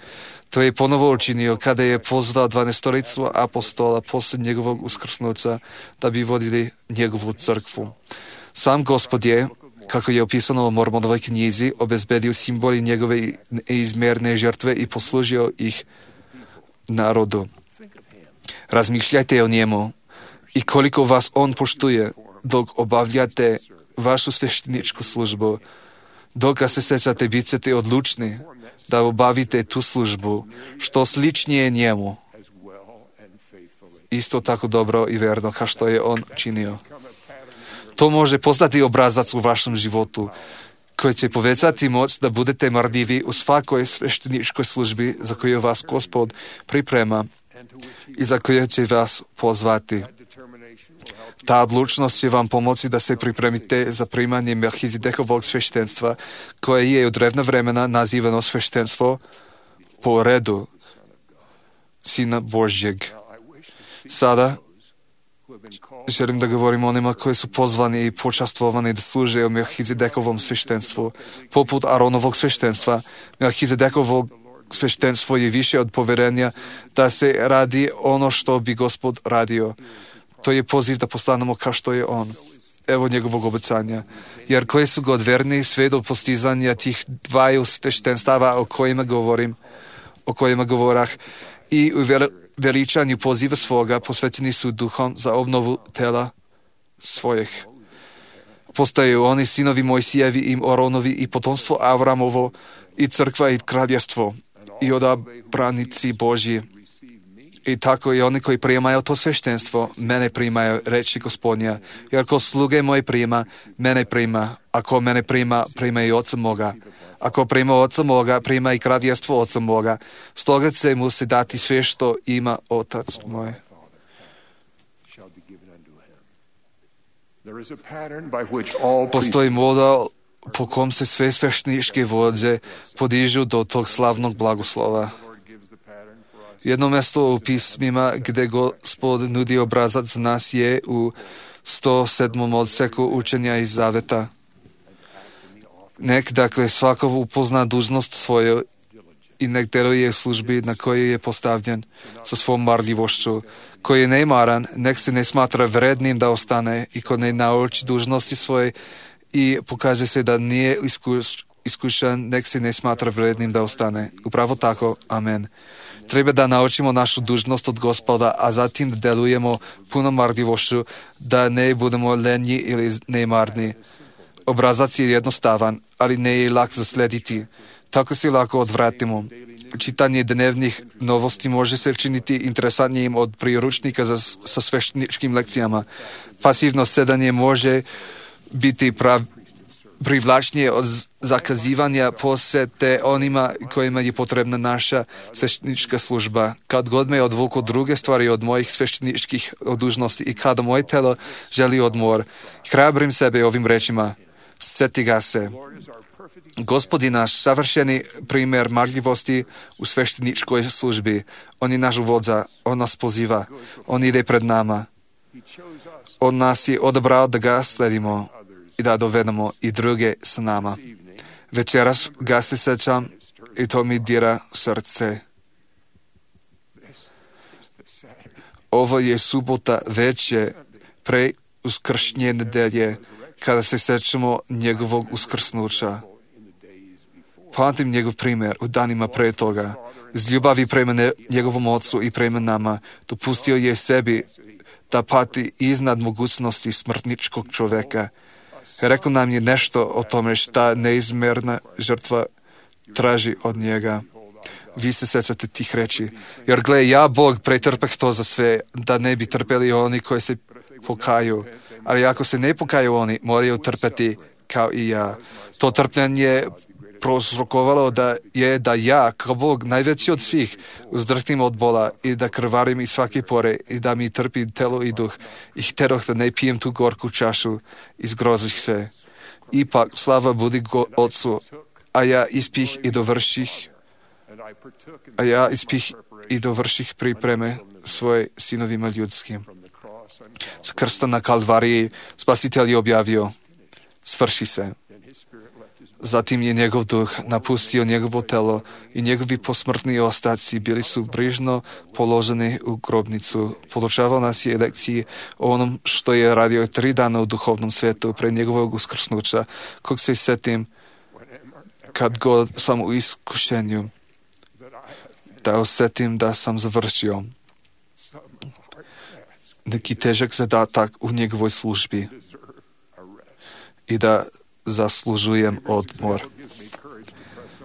To je ponovo učinio kada je pozvao dvanaestoricu apostola posle njegovog uskrsnuća da bi vodili njegovu crkvu. Sam Gospod je, kako je opisano u Mormonovoj knjizi, obezbedio simboli njegove neizmjerne žrtve i poslužio ih národu. Razmišljajte o njemu i koliko vas on poštuje dok obavljate vašu svešteničku službu. Dok se sećate, bit ćete odlučni da obavite tu službu što sličnije njemu. Isto tako dobro i verno kao što je on činio. To može postati obrazac u vašem životu koji će povećati moć da budete marljivi u svakoj svešteničkoj službi za koju vas Gospod priprema i za koju će vas pozvati. Ta odlučnost će vam pomoći da se pripremite za primanje Melchizedekovog sveštenstva, koje je od drevna vremena nazivano sveštenstvo po redu Sina Božjeg. Sada želim da govorim o onima koji su pozvani i počastvovani da služe u Melchizedekovom sveštenstvu. Poput Aronovog sveštenstva, Melchizedekovog sveštenstvo je više od poverenja da se radi ono što bi Gospod radio. To je poziv da postanemo kao što je on. Evo njegovog obećanja. Jer koji su god verni sve do postizanja tih dvaju sveštenstava o kojima govorim, o kojima govorah, i u veličanju poziva svoga posvećeni su duhom za obnovu tela svojih. Postaju oni sinovi Mojsijevi i Oronovi i potomstvo Avramovo i crkva i kraljevstvo i odabranici Božji. I tako i oni koji primaju to sveštenstvo, mene primaju, reči Gospodnja. Jer ko sluge moje prima, mene prima. Ako mene prima, prima i oca moga. Ako prima oca moga, prima i kraljevstvo oca moga. Stoga će mu se dati sve što ima otac moj. Postoji model po kom se sve svešteničke vođe podižu do tog slavnog blagoslova. Jedno mjesto u pismima gdje Gospod nudi obrazac za nas je u sto sedmom odseku učenja iz Zaveta. Nek, dakle, svako upozna dužnost svoju i nek deluje službi na kojoj je postavljen sa svom marljivošću. Koji je nemaran, nek se ne smatra vrednim da ostane i ko ne nauči dužnosti svoje i pokaže se da nije iskuš, iskušan, nek se ne smatra vrednim da ostane. Upravo tako, amen. Treba da naučimo našu dužnost od Gospoda, a zatim da delujemo puno marljivošću, da ne budemo lenji ili nemarni. Obrazac je jednostavan, ali ne je lak za slediti. Tako se lako odvratimo. Čitanje dnevnih novosti može se činiti interesantnijim od priručnika za, sa svešteničkim lekcijama. Pasivno sedanje može biti prav, privlačnije od zakazivanja posete onima kojima je potrebna naša sveštenička služba. Kad god me odvuku druge stvari od mojih svešteničkih dužnosti i kada moje telo želi odmor, hrabrim sebe ovim rečima. Sjeti ga se. Gospod je naš savršeni primjer marljivosti u svešteničkoj službi. On je naš vođa, on nas poziva, on ide pred nama. On nas je odabrao da ga sledimo i da dovedemo i druge sa nama. Večeras ga se sećam i to mi dira srce. Ovo je subota večer pre uskršnje nedelje, kada se sećamo njegovog uskrsnuća. Pamtim njegov primjer u danima pre toga. Iz ljubavi prema ne, njegovom ocu i prema nama dopustio je sebi da pati iznad mogućnosti smrtničkog čoveka. Rekao nam je nešto o tome šta neizmjerna žrtva traži od njega. Vi se sećate tih reči. Jer gle, ja, Bog, pretrpeh to za sve, da ne bi trpeli oni koji se pokaju. Ali ako se ne pokaju oni, moraju trpeti kao i ja. To trpljenje prouzrokovalo da je da ja, kao Bog, najveći od svih, uzdrhtim od bola i da krvarim iz svake pore i da mi trpi telo i duh. I hteroh da ne pijem tu gorku čašu i zgrozih se. Ipak, slava budi go Otcu, a ja ispih i dovrših, a ja ispih i dovrših pripreme svoje sinovima ljudskim. S krsta na Kalvariji Spasitelj je objavio, svrši se. Zatim je njegov duh napustio njegovo telo i njegovi posmrtni ostaci bili su brižno položeni u grobnicu. Podučavao nas je lekciji o onom što je radio tri dana u duhovnom svijetu pre njegovog uskrsnuća, kog se setim kad god sam u iskušenju. da osetim da sam završio neki težak zadatak u njegovoj službi i da zaslužujem odmor.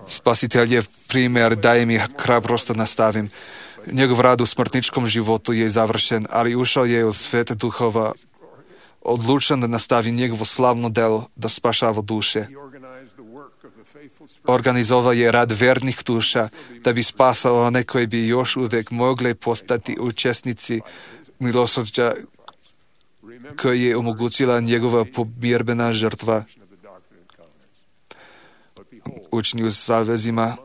Spasiteljev primjer daje mi hrabrost da nastavim. Njegov rad u smrtničkom životu je završen, ali ušao je u svet duhova, odlučen da nastavi njegovo slavno delo da spašava duše. Organizovao je rad vernih duša da bi spasao one koji bi još uvijek mogli postati učesnici milosrđa koji je omogućila njegova pomirbena žrtva. Učni u savezima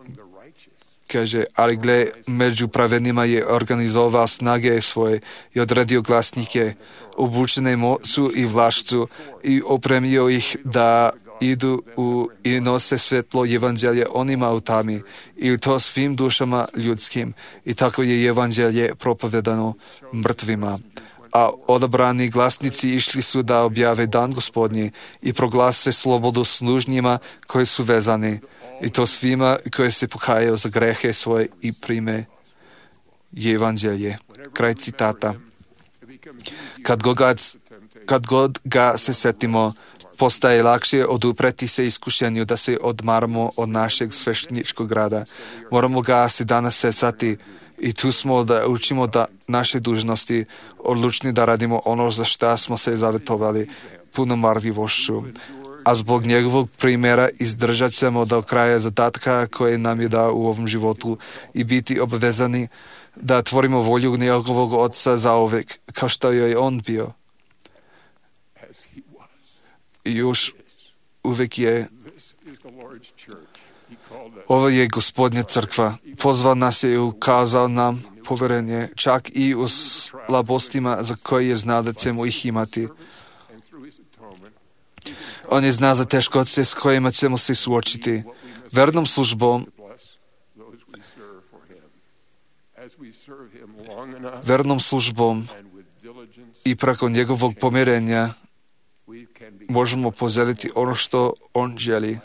kaže, ali gle, među pravednima je organizovao snage svoje i odredio glasnike, obučene moću i vlašću i opremio ih da idu u i nose svetlo evanđelje onima u tami i to svim dušama ljudskim. I tako je evanđelje propovedano mrtvima. A odabrani glasnici išli su da objave dan Gospodnji i proglase slobodu služnjima koji su vezani. I to svima koji se pokajaju za grehe svoje i prime evanđelje. Kraj citata. Kad god, kad god ga se setimo, postaje lakše odupreti se iskušenju da se odmaramo od našeg svešteničkog rada. Moramo ga se danas secati i tu smo da učimo da naše dužnosti, odlučni da radimo ono za šta smo se zavetovali puno marljivošću. A zbog njegovog primjera izdržat ćemo do kraja zadatka koje nam je dao u ovom životu i biti obvezani da tvorimo volju njegovog Oca zauvek, kao što je on bio. I još uvijek je. Ovo je Gospodnja crkva. Pozval nas je i ukazao nam poverenje, čak i u slabostima za koje je znao da ćemo ih imati. On je zna za teškoće s kojima ćemo se suočiti. Vernom službom vernom službom i preko njegovog pomirenja možemo poželiti ono što on želi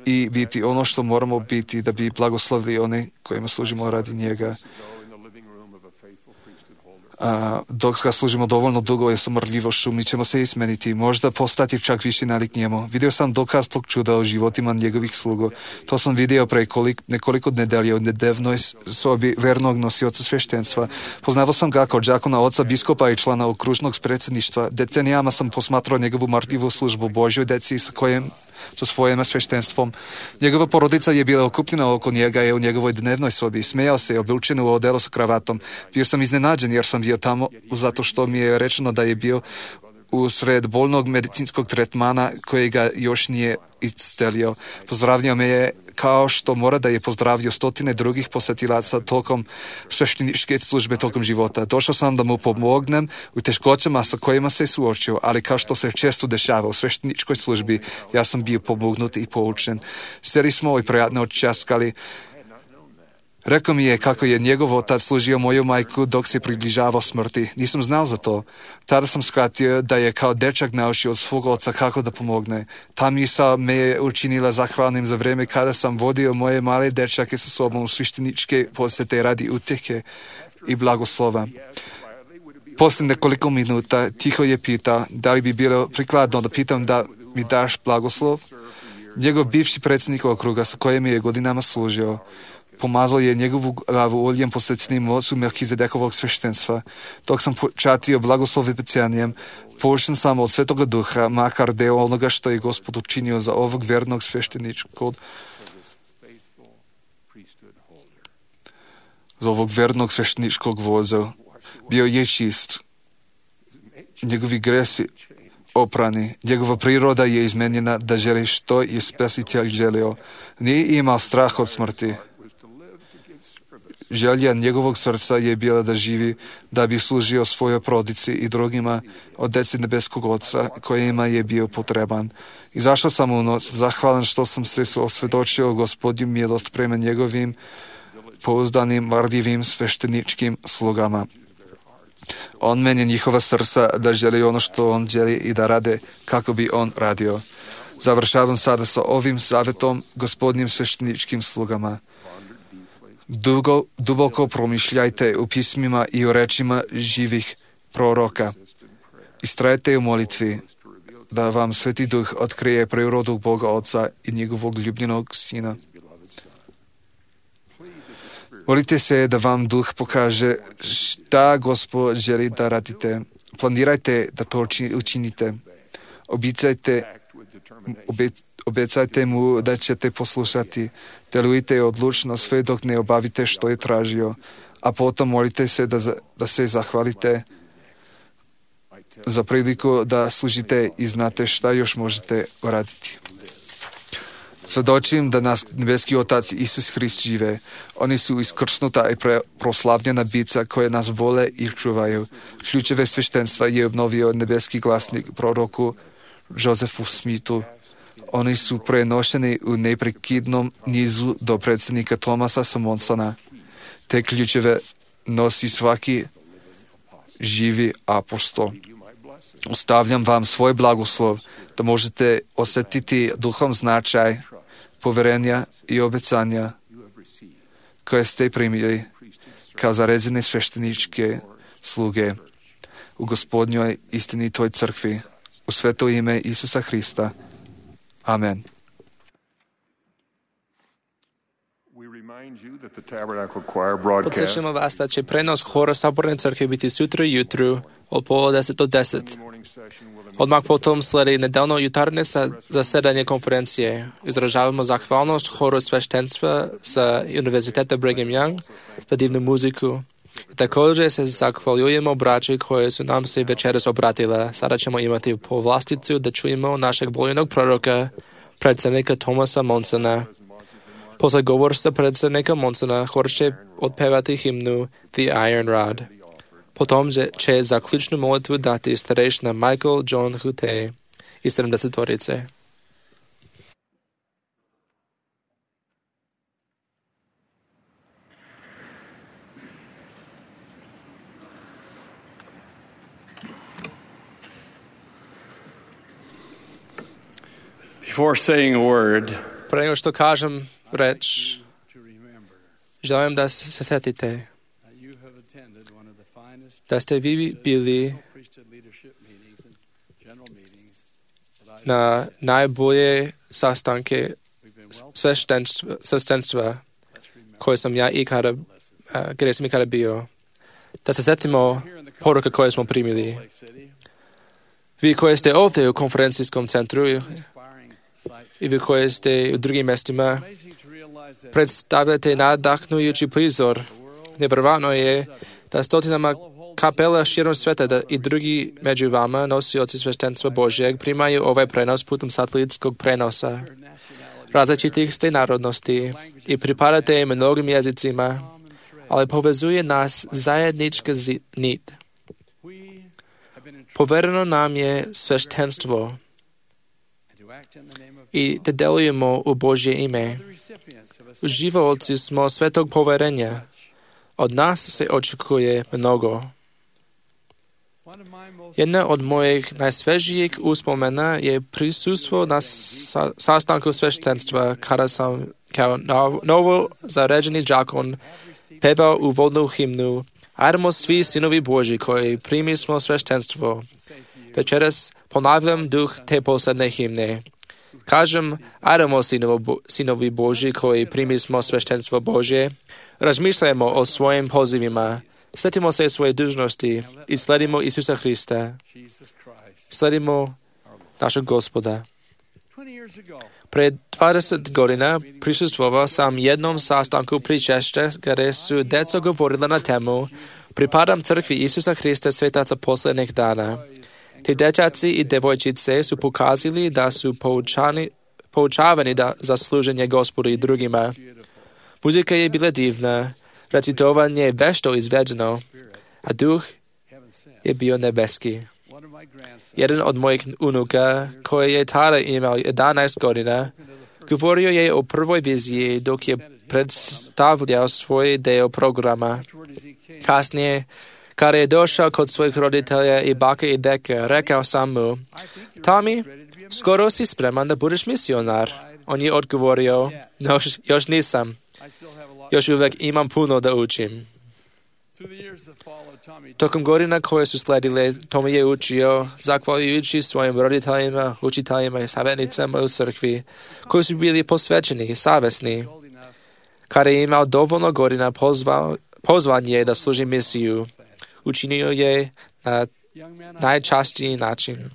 i biti ono što moramo biti da bi blagoslovili one kojima služimo radi njega. A, dok ga služimo dovoljno dugo je sa mrljivošću, mi ćemo se ismeniti, možda postati čak više nalik njemu. Vidio sam dokaz tog čuda o životima njegovih slugo. To sam vidio pre kolik, nekoliko nedelje u nedavnoj sobi vernog nosioca sveštenstva. Poznavao sam ga kao đakona, oca, biskopa i člana okružnog predsjedništva. Decenijama sam posmatrao njegovu marljivu službu Božjoj deci sa kojim sa svojim sveštenstvom. Njegova porodica je bila okupljena oko njega i u njegovoj dnevnoj sobi. Smejao se, obučen u odelo sa kravatom. Bio sam iznenađen jer sam bio tamo zato što mi je rečeno da je bio usred bolnog medicinskog tretmana kojega još nije iscelio. Pozdravio me je kao što mora da je pozdravio stotine drugih posetilaca tokom svešteničke službe tokom života. Došao sam da mu pomognem u teškoćama sa kojima se suočio, ali kao što se često dešava u svešteničkoj službi, ja sam bio pomognut i poučen. Seli smo i prijatno odčaskali. Rekao mi je kako je njegov otac služio moju majku dok se približavao smrti. Nisam znao za to. Tada sam shvatio da je kao dečak naučio od svog oca kako da pomogne. Ta misao me je učinila zahvalnim za vrijeme kada sam vodio moje male dečake sa sobom u svešteničke posjete radi utjehe i blagoslova. Poslije nekoliko minuta tiho je pitao da li bi bilo prikladno da pitam da mi daš blagoslov. Njegov bivši predsjednik okruga sa kojim je godinama služio pomazao je njegovu glavu oljem posvećenim moću Melkizedekovog sveštenstva. Dok sam počatio blagoslovljenjem, poučen sam od Svetoga Duha, makar deo onoga što je Gospod učinio za ovog vernog svešteničkog za ovog vernog svešteničkog voza. Bio je čist. Njegovi gresi oprani. Njegova priroda je izmenjena da želi što je Spasitelj želio. Nije imao strah od smrti. Želja njegovog srca je bila da živi, da bi služio svojoj porodici i drugima od deci nebeskog Oca kojima je bio potreban. Izašao sam u noć, zahvalan što sam se osvjedočio Gospodnju milost prema njegovim pouzdanim, marljivim svešteničkim slugama. On meni njihova srca da želi ono što on želi i da rade kako bi on radio. Završavam sada sa ovim savjetom Gospodnjim svešteničkim slugama. Dugo, duboko promišljajte u pismima i u rečima živih proroka. Istrajte u molitvi, da vam Sveti Duh otkrije prirodu Boga Oca i njegovog ljubljenog Sina. Molite se da vam Duh pokaže šta Gospod želi da radite. Planirajte da to učinite. Obicajte, obec, obecajte mu da ćete poslušati. Delujte odlučno sve dok ne obavite što je tražio. A potom molite se da, da se zahvalite za priliku da služite i znate šta još možete uraditi. Svedočim da nas nebeski Otac Isus Hrist žive. Oni su iskrsnuta i pre, proslavljena bića koje nas vole i čuvaju. Ključeve sveštenstva je obnovio nebeski glasnik proroku Josefu Smithu. Oni su prenošeni u neprekidnom nizu do predsjednika Thomasa Samonsona. Te ključeve nosi svaki živi apostol. Ostavljam vam svoj blagoslov da možete osjetiti duhom značaj, poverenja i obećanja koje ste primili kao zaređene svešteničke sluge u Gospodnjoj istinitoj crkvi, u sveto ime Isusa Hrista. Amen. Podsjećamo vas da će prenos hora Saborne crkve biti sutra jutru od pola deset do deset. Odmah potom sledi nedeljno jutarnje zasedanje konferencije. Izražavamo zahvalnost horu sveštenstva sa Univerziteta Brigham Young za divnu muziku. I također se zahvaljujemo braći koje su nam se večeras obratile. Sada ćemo imati povlasticu da čujemo našeg voljenog proroka, predsjednika Thomasa Monsona. Posle govorstva predsjednika Monsona hor će otpevati himnu The Iron Rod. Potom će zaključnu molitvu dati starešina Michael John Hute i sedamdesetorice. Before saying a word, pre nego što kažem reč, želim da se setite da ste vi bili na najbolje sastanke sveštenstva koje sam ja ikada, gdje sam ikada bio. Da se setimo poruka koje smo primili. Vi koji ste ovdje u konferencijskom centru i vi koji ste u drugim mjestima, predstavljate nadahnujući prizor. Nevjerovatno je da stotinama kapela širom sveta da i drugi među vama, nosioci sveštenstva Božjeg, primaju ovaj prenos putem satelitskog prenosa. Različitih ste narodnosti i pripadate mnogim jezicima, ali povezuje nas zajednička nit. Povereno nam je sveštenstvo i da delujemo u Božje ime. Uživaoci smo svetog poverenja. Od nas se očekuje mnogo. Jedna od mojih najsvežijih uspomena je prisustvo na sa, sastanku sveštenstva, kada sam kao nov, novo zaređeni đakon pevao uvodnu himnu Ajdemo svi sinovi Božji koji primi smo sveštenstvo. Večeras ponavljam duh te posledne himne. Kažem, ajdemo sinovi Božji koji primi smo sveštenstvo Božje. Razmišljajmo o svojim pozivima. Sjetimo se svoje dužnosti i sledimo Isusa Hrista. Sledimo našeg Gospoda. Pred dvadeset godina prisustvovao sam jednom sastanku pričešća gdje su djeca govorila na temu Pripadam crkvi Isusa Hrista svetaca posljednjih dana. Ti dječaci i devojčice su pokazali da su poučani, poučavani da za služenje Gospodu i drugima. Muzika je bila divna, recitovanje vešto izvedeno, a duh je bio nebeski. Jedan od mojih unuka, koji je tada imao jedanaest godina, govorio je o prvoj viziji dok je predstavljao svoj deo programa. Kasnije, kada je došao kod svojih roditelja i bake i deke, rekao sam mu, Tommy, skoro si spreman da budeš misionar. On je odgovorio, no, još nisam. Još uvek imam puno da učim. Tokom godina koje su sledile, Tomi je učio, zahvaljujući svojim roditeljima, učiteljima i savjetnicama u crkvi, koji su bili posvećeni i savjesni. Kada je imao dovoljno godina, pozvao, pozvan je da služi misiju. Učinio je na najčastiji način.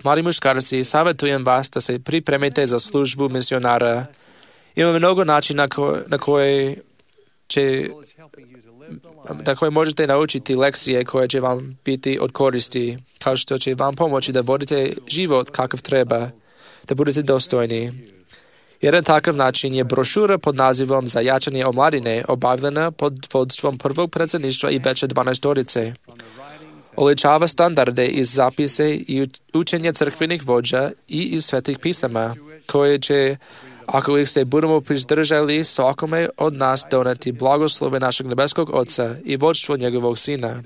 Mladi muškarci, savjetujem vas da se pripremite za službu misionara. Ima mnogo načina ko, na koje će na koje možete naučiti lekcije koje će vam biti od koristi, kao što će vam pomoći da vodite život kakav treba, da budete dostojni. Jedan takav način je brošura pod nazivom Za jačanje omladine, obavljena pod vodstvom prvog predsjedništva i veće dvanaestorice. Oličava standarde iz zapise i učenja crkvenih vođa i iz svetih pisama, koje će, ako ih se budemo prizdržali, svakome od nas doneti blagoslove našeg nebeskog Oca i vodstvo njegovog Sina.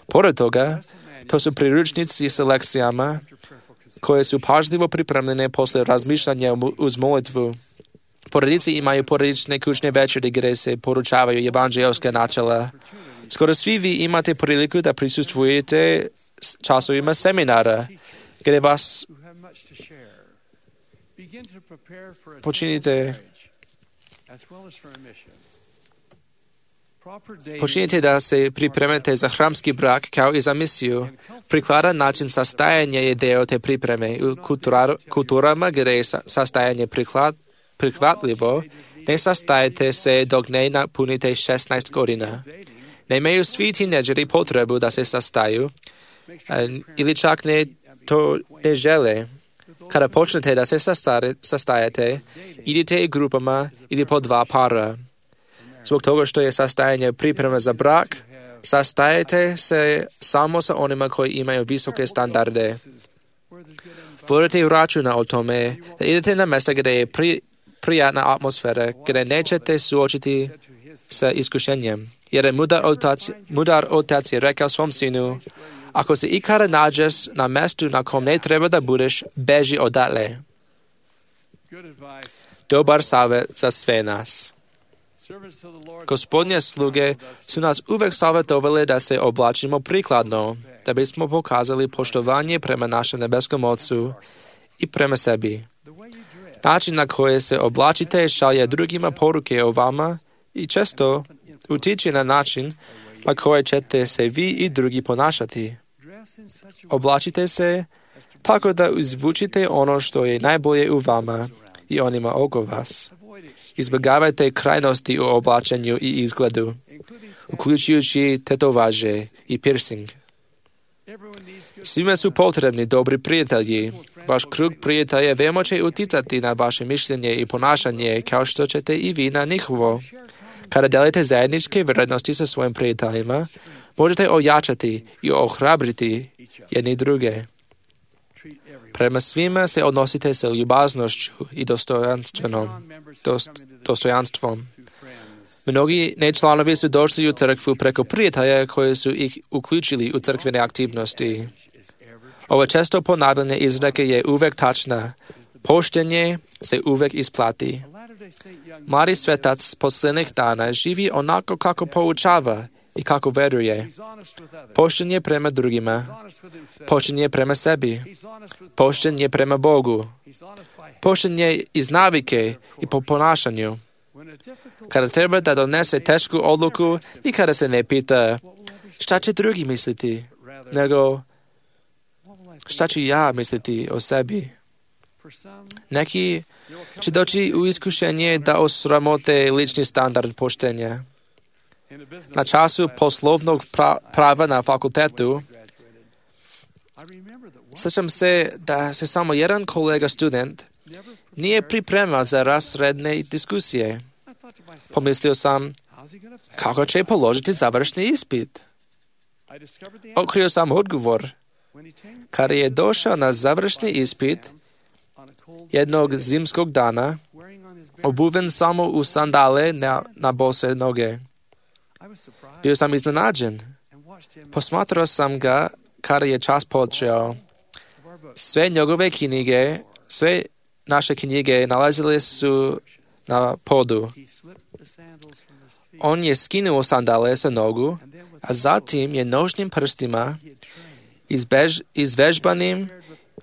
Pored toga, to su priručnici sa lekcijama koje su pažljivo pripremljene posle razmišljanja uz molitvu. Porodice imaju porodične kućne večeri gdje se poručavaju evanđelska načela. Skoro svi vi imate priliku da prisustvujete časovima seminara, gdje vas počinite Počinite da se pripremite za hramski brak kao i za misiju. Prikladan način sastajanja je deo te pripreme. U kultura, kulturama gdje je sastajanje priklad, prihvatljivo, ne sastajete se dok ne napunite šesnaest godina. Nemaju svi tineđeri potrebu da se sastaju, ili čak ne to ne žele. Kada počnete da se sastajete, idite grupama ili po dva para. Zbog toga što je sastajanje priprema za brak, sastajete se samo sa onima koji imaju visoke standarde. Vodite računa o tome da idete na mjesta gdje je pri, prijatna atmosfera, gdje nećete suočiti sa iskušenjem. Jer je mudar otac, mudar otac je rekao svom sinu, ako se ikada nađeš na mjestu na kom ne treba da budeš, beži odatle. Dobar savjet za sve nas. Gospodnje sluge su nas uvek savjetovali da se oblačimo prikladno, da bismo pokazali poštovanje prema našem nebeskom Otcu i prema sebi. Način na koji se oblačite šalje drugima poruke o vama i često utiče na način na koji ćete se vi i drugi ponašati. Oblačite se tako da izvučite ono što je najbolje u vama i onima oko vas. Izbjegavajte krajnosti u oblačenju i izgledu, uključujući tetovaže i piercing. Svima su potrebni dobri prijatelji. Vaš krug prijatelja veoma će uticati na vaše mišljenje i ponašanje, kao što ćete i vi na njihovo. Kada delite zajedničke vrednosti sa svojim prijateljima, možete ojačati i ohrabriti jedni druge. Prema svima se odnosite sa ljubaznošću i dostojanstvenom, dost, dostojanstvom. Mnogi nečlanovi su došli u crkvu preko prijatelja koji su ih uključili u crkvene aktivnosti. Ova često ponavljanje izreke je uvek tačna. Poštenje se uvek isplati. Mladi svetac posljednjih dana živi onako kako poučava i kako veruje. Pošten je prema drugima. Pošten je prema sebi. Pošten je prema Bogu. Pošten je iz navike i po ponašanju. Kada treba da donese tešku odluku, nikada se ne pita šta će drugi misliti, nego šta ću ja misliti o sebi. Neki će doći u iskušenje da osramote lični standard poštenja. Na času poslovnog pra- prava na fakultetu, sjećam se da se samo jedan kolega student nije pripremao za razredne diskusije. Pomislio sam, kako će položiti završni ispit? Otkrio sam odgovor. Kada je došao na završni ispit jednog zimskog dana, obuven samo u sandale na, na bose noge. Bio sam iznenađen. Posmatrao sam ga kada je čas počeo. Sve njegove knjige, sve naše knjige nalazile su na podu. On je skinul sandále sa nogu a zatím je nožným prstima i, zbež, i zvežbaným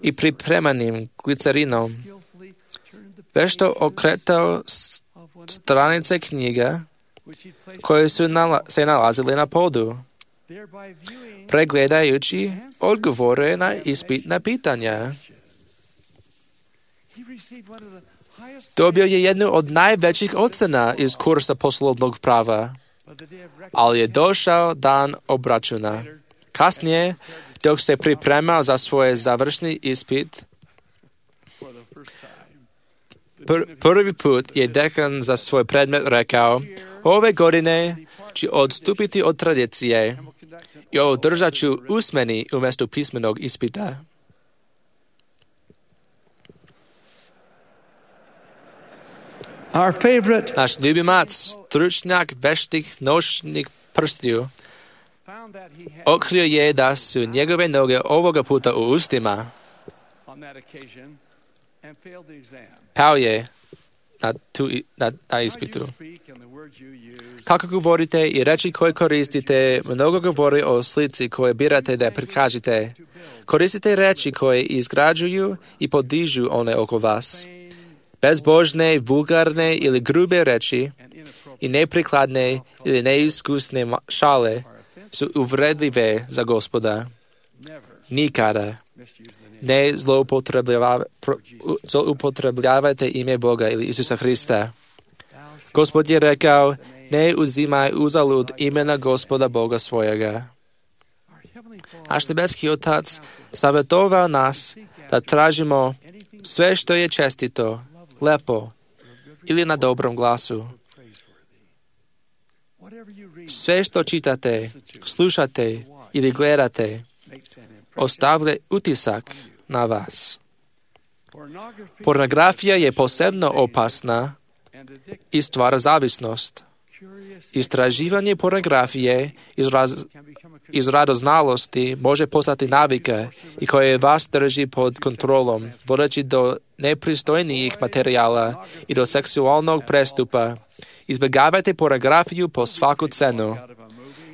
i pripremaným glycerínom. Vešto okretol stranice kniha, koje sú nala, sa nalazili na pódu. Pregledajúci odgovore na ispitné pýtania. Dobil je jednu od najväčších ocena z kursa poslovnog práva, ale je došel dan obračuna. Kasnie, dok se pripremal za svoj završný ispit, pr- prvý put je dekan za svoj predmet rekao, ove godine či odstúpiti od tradície i održaću usmeni umjesto písmenog ispita. Our favorite Náš ljubimac, stručnjak veštih nožných prstiju, otkrio je da su njegove noge ovoga puta u ustima. Pao je na, tu, na, na ispitu. Kako govorite i reči koje koristite, mnogo govori o slici koje birate da prikažete. Koristite reči koje izgrađuju i podižu one oko vas. Bezbožne, vulgarne ili grube reči i neprikladne ili neiskusne šale su uvredljive za Gospoda. Nikada ne zloupotrebljavajte ime Boga ili Isusa Hrista. Gospod je rekao, ne uzimaj uzalud imena Gospoda Boga svojega. Naš nebeski Otac savjetovao nas da tražimo sve što je čestito, lepo ili na dobrom glasu. Sve što čitate, slušate ili gledate, ostavlja utisak na vas. Pornografija je posebno opasna i stvara zavisnost. Istraživanje pornografije iz, raz, iz radoznalosti može postati navika i koje vas drži pod kontrolom, vodeći do nepristojnijih materijala i do seksualnog prestupa. Izbjegavajte pornografiju po svaku cenu.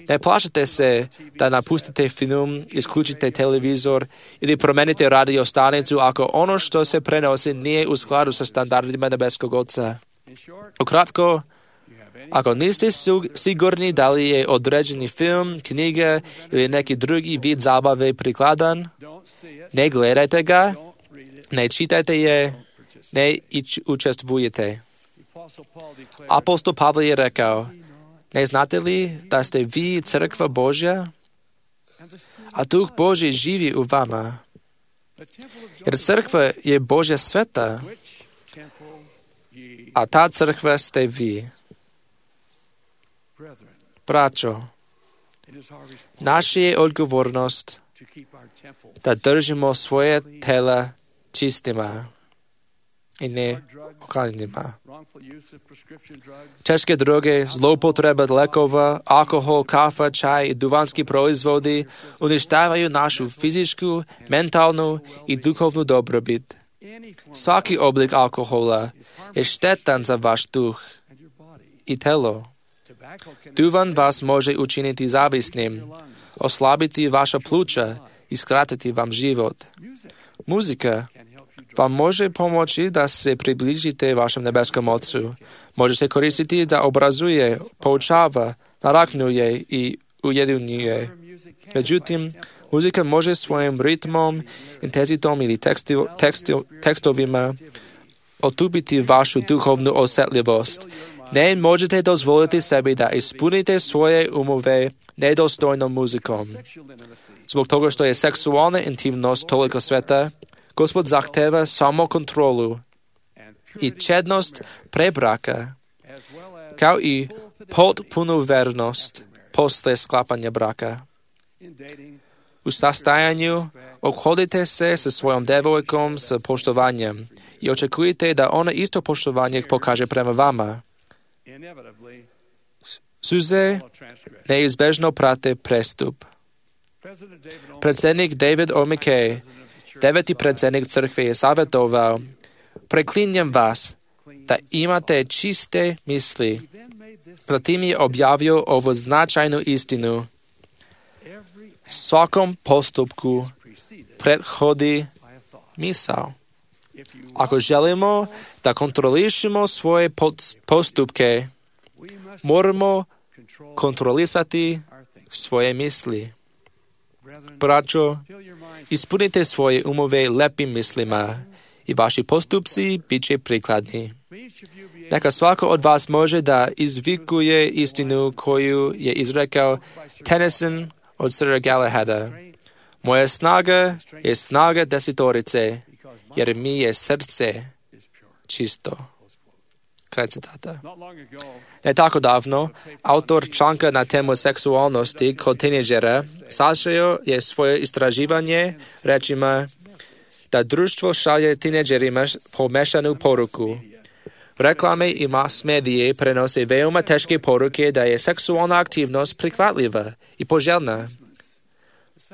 Ne plašite se da napustite film, isključite televizor ili promenite radio stanicu ako ono što se prenosi nije u skladu sa standardima nebeskog Oca. Ukratko, ako niste sigurni da li je određeni film, knjiga ili neki drugi vid zabave prikladan, ne gledajte ga, ne čitajte je, ne učestvujete. Apostol Pavle je rekao, ne znate li da ste vi crkva Božja, a Duh Božji živi u vama? Jer crkva je Božja sveta, a ta crkva ste vi. Braćo, naša je odgovornost da držimo svoje tela čistima i ne okaljenima. Teške droge, zloupotreba lekova, alkohol, kafa, čaj i duvanski proizvodi uništavaju našu fizičku, mentalnu i duhovnu dobrobit. Svaki oblik alkohola je štetan za vaš duh i telo. Duvan vas može učiniti zavisnim, oslabiti vaša pluća i skratiti vam život. Muzika vam može pomoći da se približite vašem nebeskom Otcu. Može se koristiti da obrazuje, poučava, naraknuje i ujedinjuje. Međutim, muzika može svojim ritmom, intenzitom ili tekstu, tekstu, tekstovima otupiti vašu duhovnu osjetljivost. Ne možete dozvoliti sebi da ispunite svoje umove nedostojnom muzikom. Zbog toga što je seksualna intimnost toliko sveta, Gospod zahteva samo kontrolu i čednost pre braka, kao i potpunu vernost posle sklapanja braka. U sastajanju ophodite se sa svojom devojkom s poštovanjem i očekujete da ona isto poštovanje pokaže prema vama. Suze neizbežno prate prestup. Predsjednik David O. McKay, deveti predsjednik crkve, je savjetovao, preklinjem vas da imate čiste misli. Zatim je objavio ovu značajnu istinu. Svakom postupku prethodi misao. Ako želimo da kontrolišemo svoje postupke, moramo kontrolisati svoje misli. Braćo, ispunite svoje umove lepim mislima i vaši postupci bit će prikladni. Neka svako od vas može da izvikuje istinu koju je izrekao Tennyson od Sira Galahada. Moja snaga je snaga desetorice, jer mi je srce čisto. Kraj citata. Ne tako davno, autor članka na temu seksualnosti kod tineđera sažeo je svoje istraživanje rečima da društvo šalje tineđerima pomešanu poruku. Reklame i mass medije prenose veoma teške poruke da je seksualna aktivnost prihvatljiva i poželjna.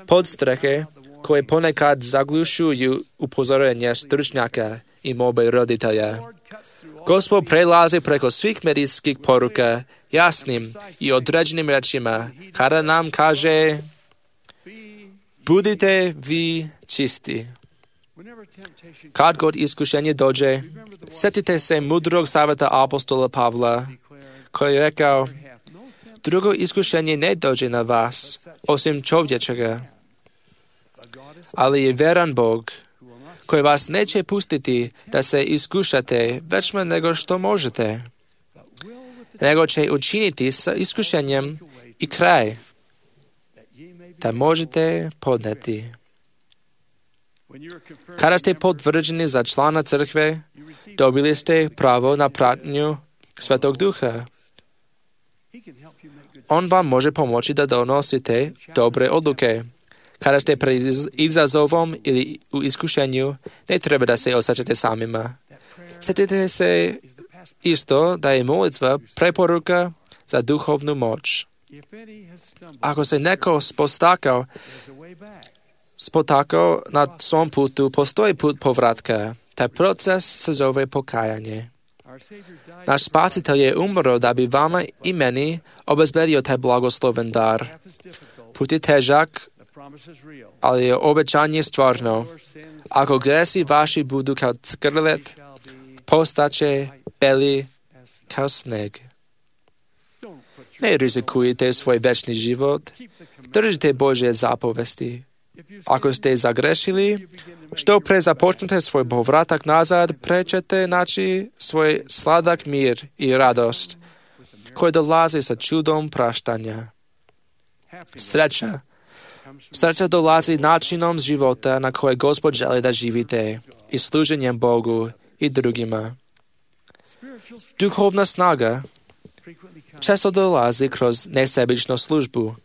Podstrehe koje ponekad zaglušuju upozorenja stručnjaka i molbe roditelja. Gospod prelazi preko svih medijskih poruka jasnim i određenim rečima kada nam kaže budite vi čisti. Kad god iskušenje dođe, sjetite se mudrog savjeta apostola Pavla, koji je rekao, drugo iskušenje ne dođe na vas, osim čovječega. Ali je veran Bog, koji vas neće pustiti da se iskušate većme nego što možete, nego će učiniti sa iskušenjem i kraj, da možete podneti. Kada ste potvrđeni za člana crkve, dobili ste pravo na pratnju Svetog Duha. On vam može pomoći da donosite dobre odluke. Kada ste pred izazovom ili u iskušenju, ne treba da se osjećate samima. Sjetite se isto da je molitva preporuka za duhovnu moć. Ako se neko spostakao, spotakao na svom putu, postoji put povratka. Taj proces se zove pokajanje. Naš spasitelj je umro da bi vama i meni obezbedio taj blagosloven dar. Put je težak, ali je obećanje stvarno. Ako gresi vaši budu kao skrlet, postaće beli kao sneg. Ne rizikujte svoj večni život, držite Božje zapovesti. Ako ste zagrešili, što pre započnete svoj povratak nazad, pre ćete naći svoj sladak mir i radost, koji dolazi sa čudom praštanja. Sreća. Sreća dolazi načinom života na koje Gospod želi da živite i služenjem Bogu i drugima. Duhovna snaga često dolazi kroz nesebičnu službu.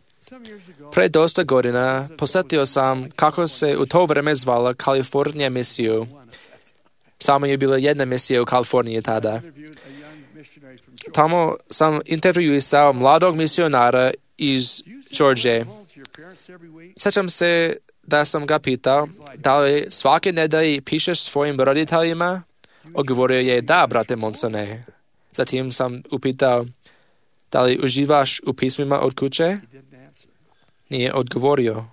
Pre dosta godina posjetio sam kako se u to vreme zvala Kalifornija misiju. Samo je bila jedna misija u Kaliforniji tada. Tamo sam intervjuisao mladog misionara iz Georgije. Sjećam se da sam ga pitao da li svake nedelje pišeš svojim roditeljima. Odgovorio je da, brate Monsone. Zatim sam upitao da li uživaš u pismima od kuće. Nije odgovorio.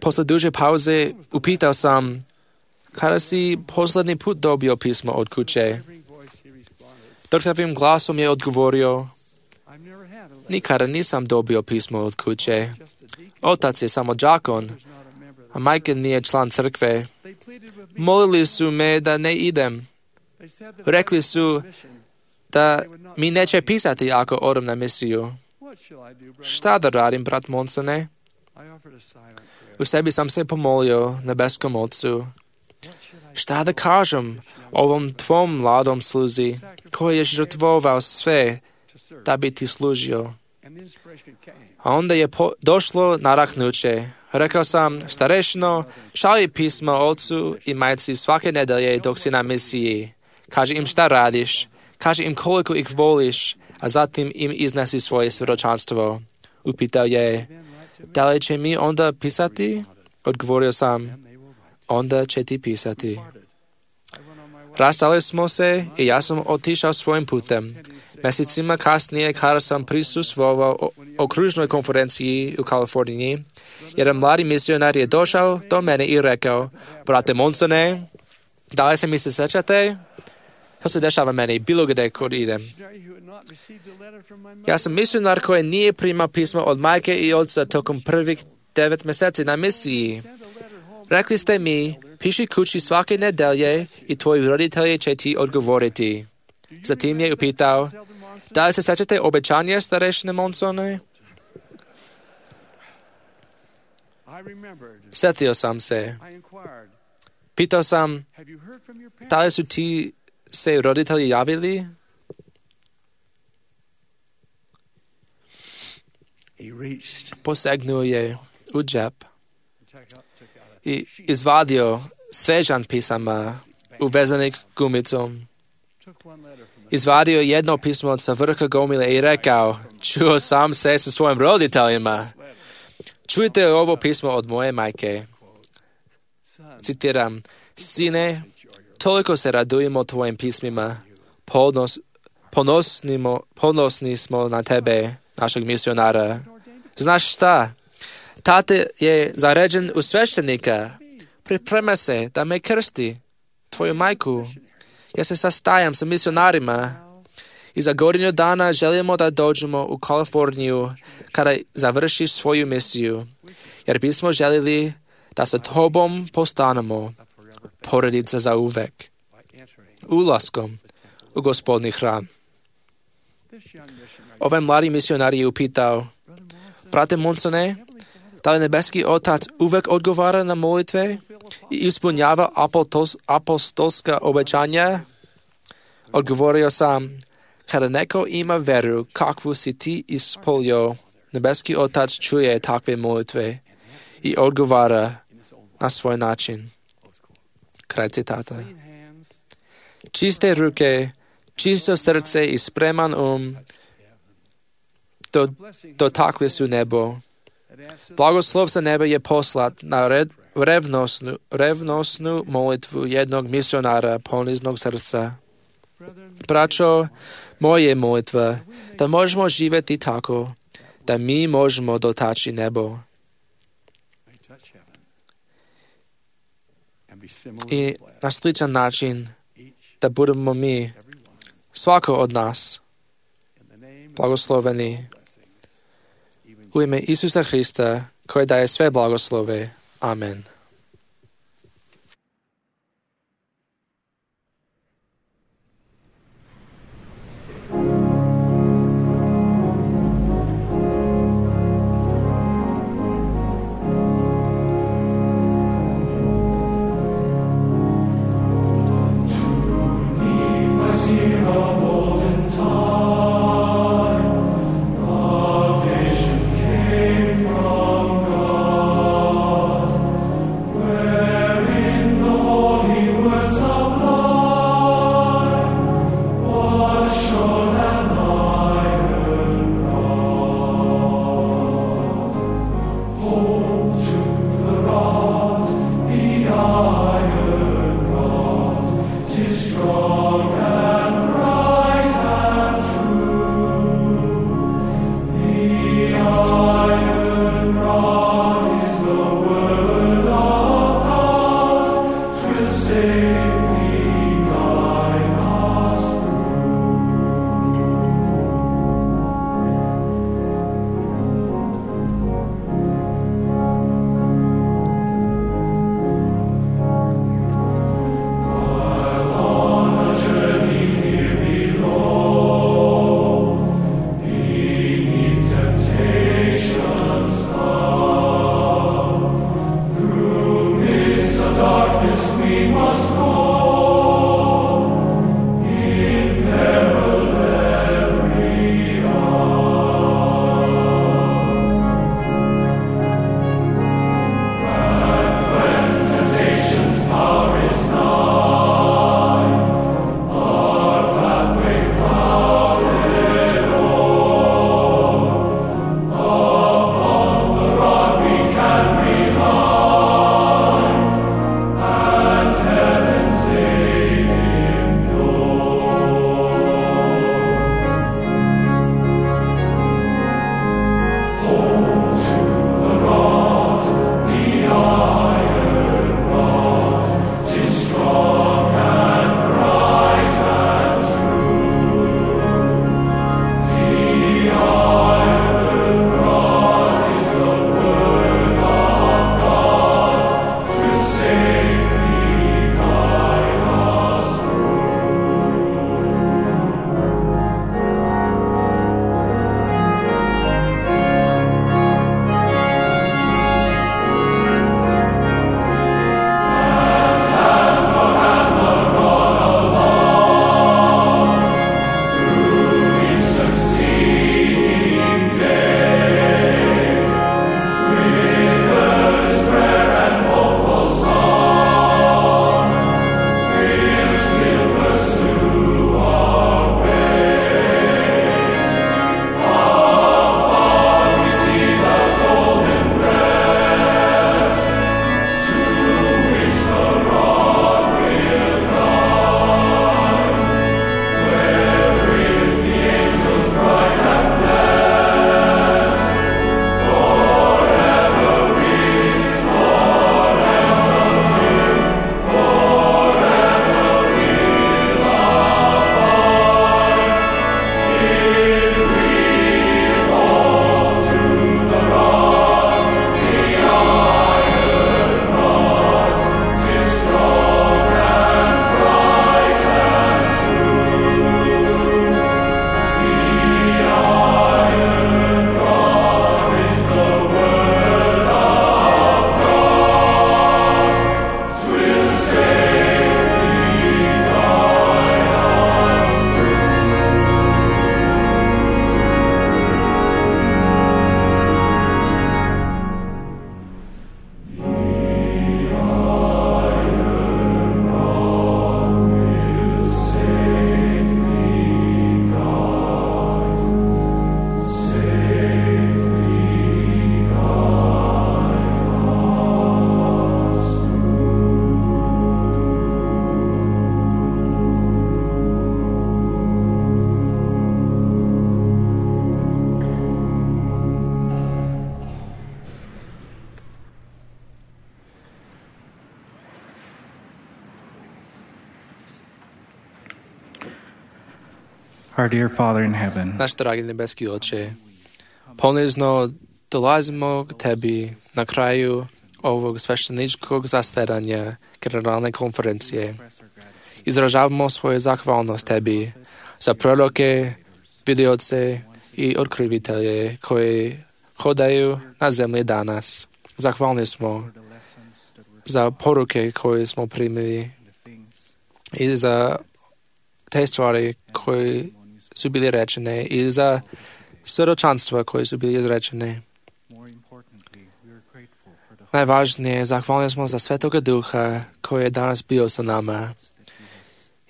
Posle duže pauze upitao sam kada si posljednji put dobio pismo od kuće. Drhtavim glasom je odgovorio, nikada nisam dobio pismo od kuće. Otac je samo đakon, a majka nije član crkve. Molili su me da ne idem. Rekli su da mi neće pisati ako odem na misiju. Šta da radim, brat Monsone? U sebi sam se pomolio nebeskom Otcu. Šta da kažem ovom tvom mladom sluzi, koji je žrtvovao sve da bi ti služio? A onda je po- došlo naraknuće. Rekao sam, starešno, šalji pismo ocu i majci svake nedelje dok si na misiji. Kaži im šta radiš, kaži im koliko ih voliš, a zatim im iznesi svoje svjedočanstvo. Upitao je, da li će mi onda pisati? Odgovorio sam, onda će ti pisati. Rastali smo se i ja sam otišao svojim putem. Mesecima kasnije, kada sam prisustvovao o okružnoj konferenciji u Kaliforniji, jedan mladi misionar je došao do mene i rekao, brate Monsone, da li se mi se sećate? To se dešava meni bilo gdje kod idem. Ja sam misionar koji nije primao pismo od majke i oca tokom prvih devet mjeseci na misiji. Rekli ste mi, piši kući svake nedelje i tvoji roditelji će ti odgovoriti. Zatim je upitao, da li se sećate obećanja starešine Monsone? Sjetio sam se. Pitao sam, da li su ti se roditelji javili? Posegnuo je u džep i izvadio svežan pisama uvezanih gumicom. Izvadio jedno pismo sa vrha gomile i rekao, čuo sam se sa svojim roditeljima. Čujte ovo pismo od moje majke. Citiram, sine, toliko se radujemo tvojim pismima, ponos, ponosnimo, ponosni smo na tebe, našeg misionara. Znaš šta? Tate je zaređen u sveštenika. Priprema se da me krsti, tvoju majku. Ja se sastajam sa misionarima i za godinu dana želimo da dođemo u Kaliforniju kada završiš svoju misiju, jer bismo željeli da sa tobom postanemo porodica za uvek, ulaskom u Gospodni hram. Ovaj mladi misionar je upitao, brate Monsone, da li nebeski otac uvek odgovara na molitve i ispunjava apostolska obećanja? Odgovorio sam, kada neko ima veru kakvu si ti ispolio, nebeski otac čuje takve molitve i odgovara na svoj način. Kraj citata. Čiste ruke, čisto srce i spreman um do, dotakli su nebo. Blagoslov sa neba je poslat na red, revnosnu, revnosnu molitvu jednog misionara poniznog srca. Braćo, moje molitva, da možemo živjeti tako, da mi možemo dotaći nebo. I na sličan način, da budemo mi, svako od nas, blagosloveni u ime Isusa Hrista, koji daje sve blagoslove. Amen. From God. Our dear Father in heaven, Наш дорогий небесний Отче, понизно долазимо к Тебе на краю овog священничкog zasedanja Generalnej konferencije. Izražavamo svoju zahvalnost Tebi za proroke, vidioce i otkrivitelje koji hodaju na zemlji danas. Zahvalni smo za poruke koje smo primili i za te stvari koje su bili rečene i za svjedočanstva koje su bili izrečene. Najvažnije, zahvalni smo za Svetoga Duha koji je danas bio sa nama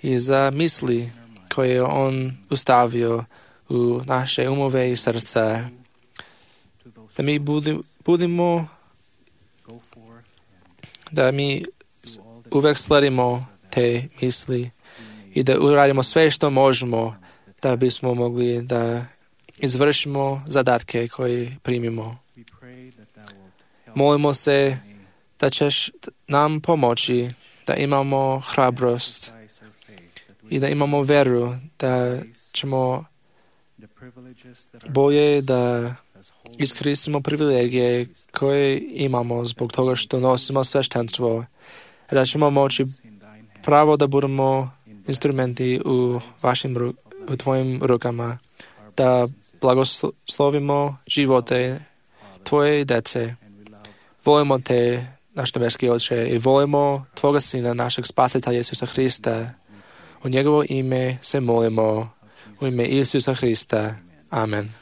i za misli koje je On ustavio u naše umove i srca. Da mi budi, budimo, da mi uvek sledimo te misli i da uradimo sve što možemo da bismo mogli da izvršimo zadatke koje primimo. Molimo se da ćeš nam pomoći da imamo hrabrost i da imamo veru da ćemo bolje da iskoristimo privilegije koje imamo zbog toga što nosimo sveštenstvo, da ćemo moći pravo da budemo instrumenti u vašim u tvojim rukama, da blagoslovimo živote tvoje dece. Volimo te, naš nebeski Oče, i volimo Tvoga Sina, našeg Spasitelja Isusa Hrista. U njegovo ime se molimo, u ime Isusa Hrista. Amen.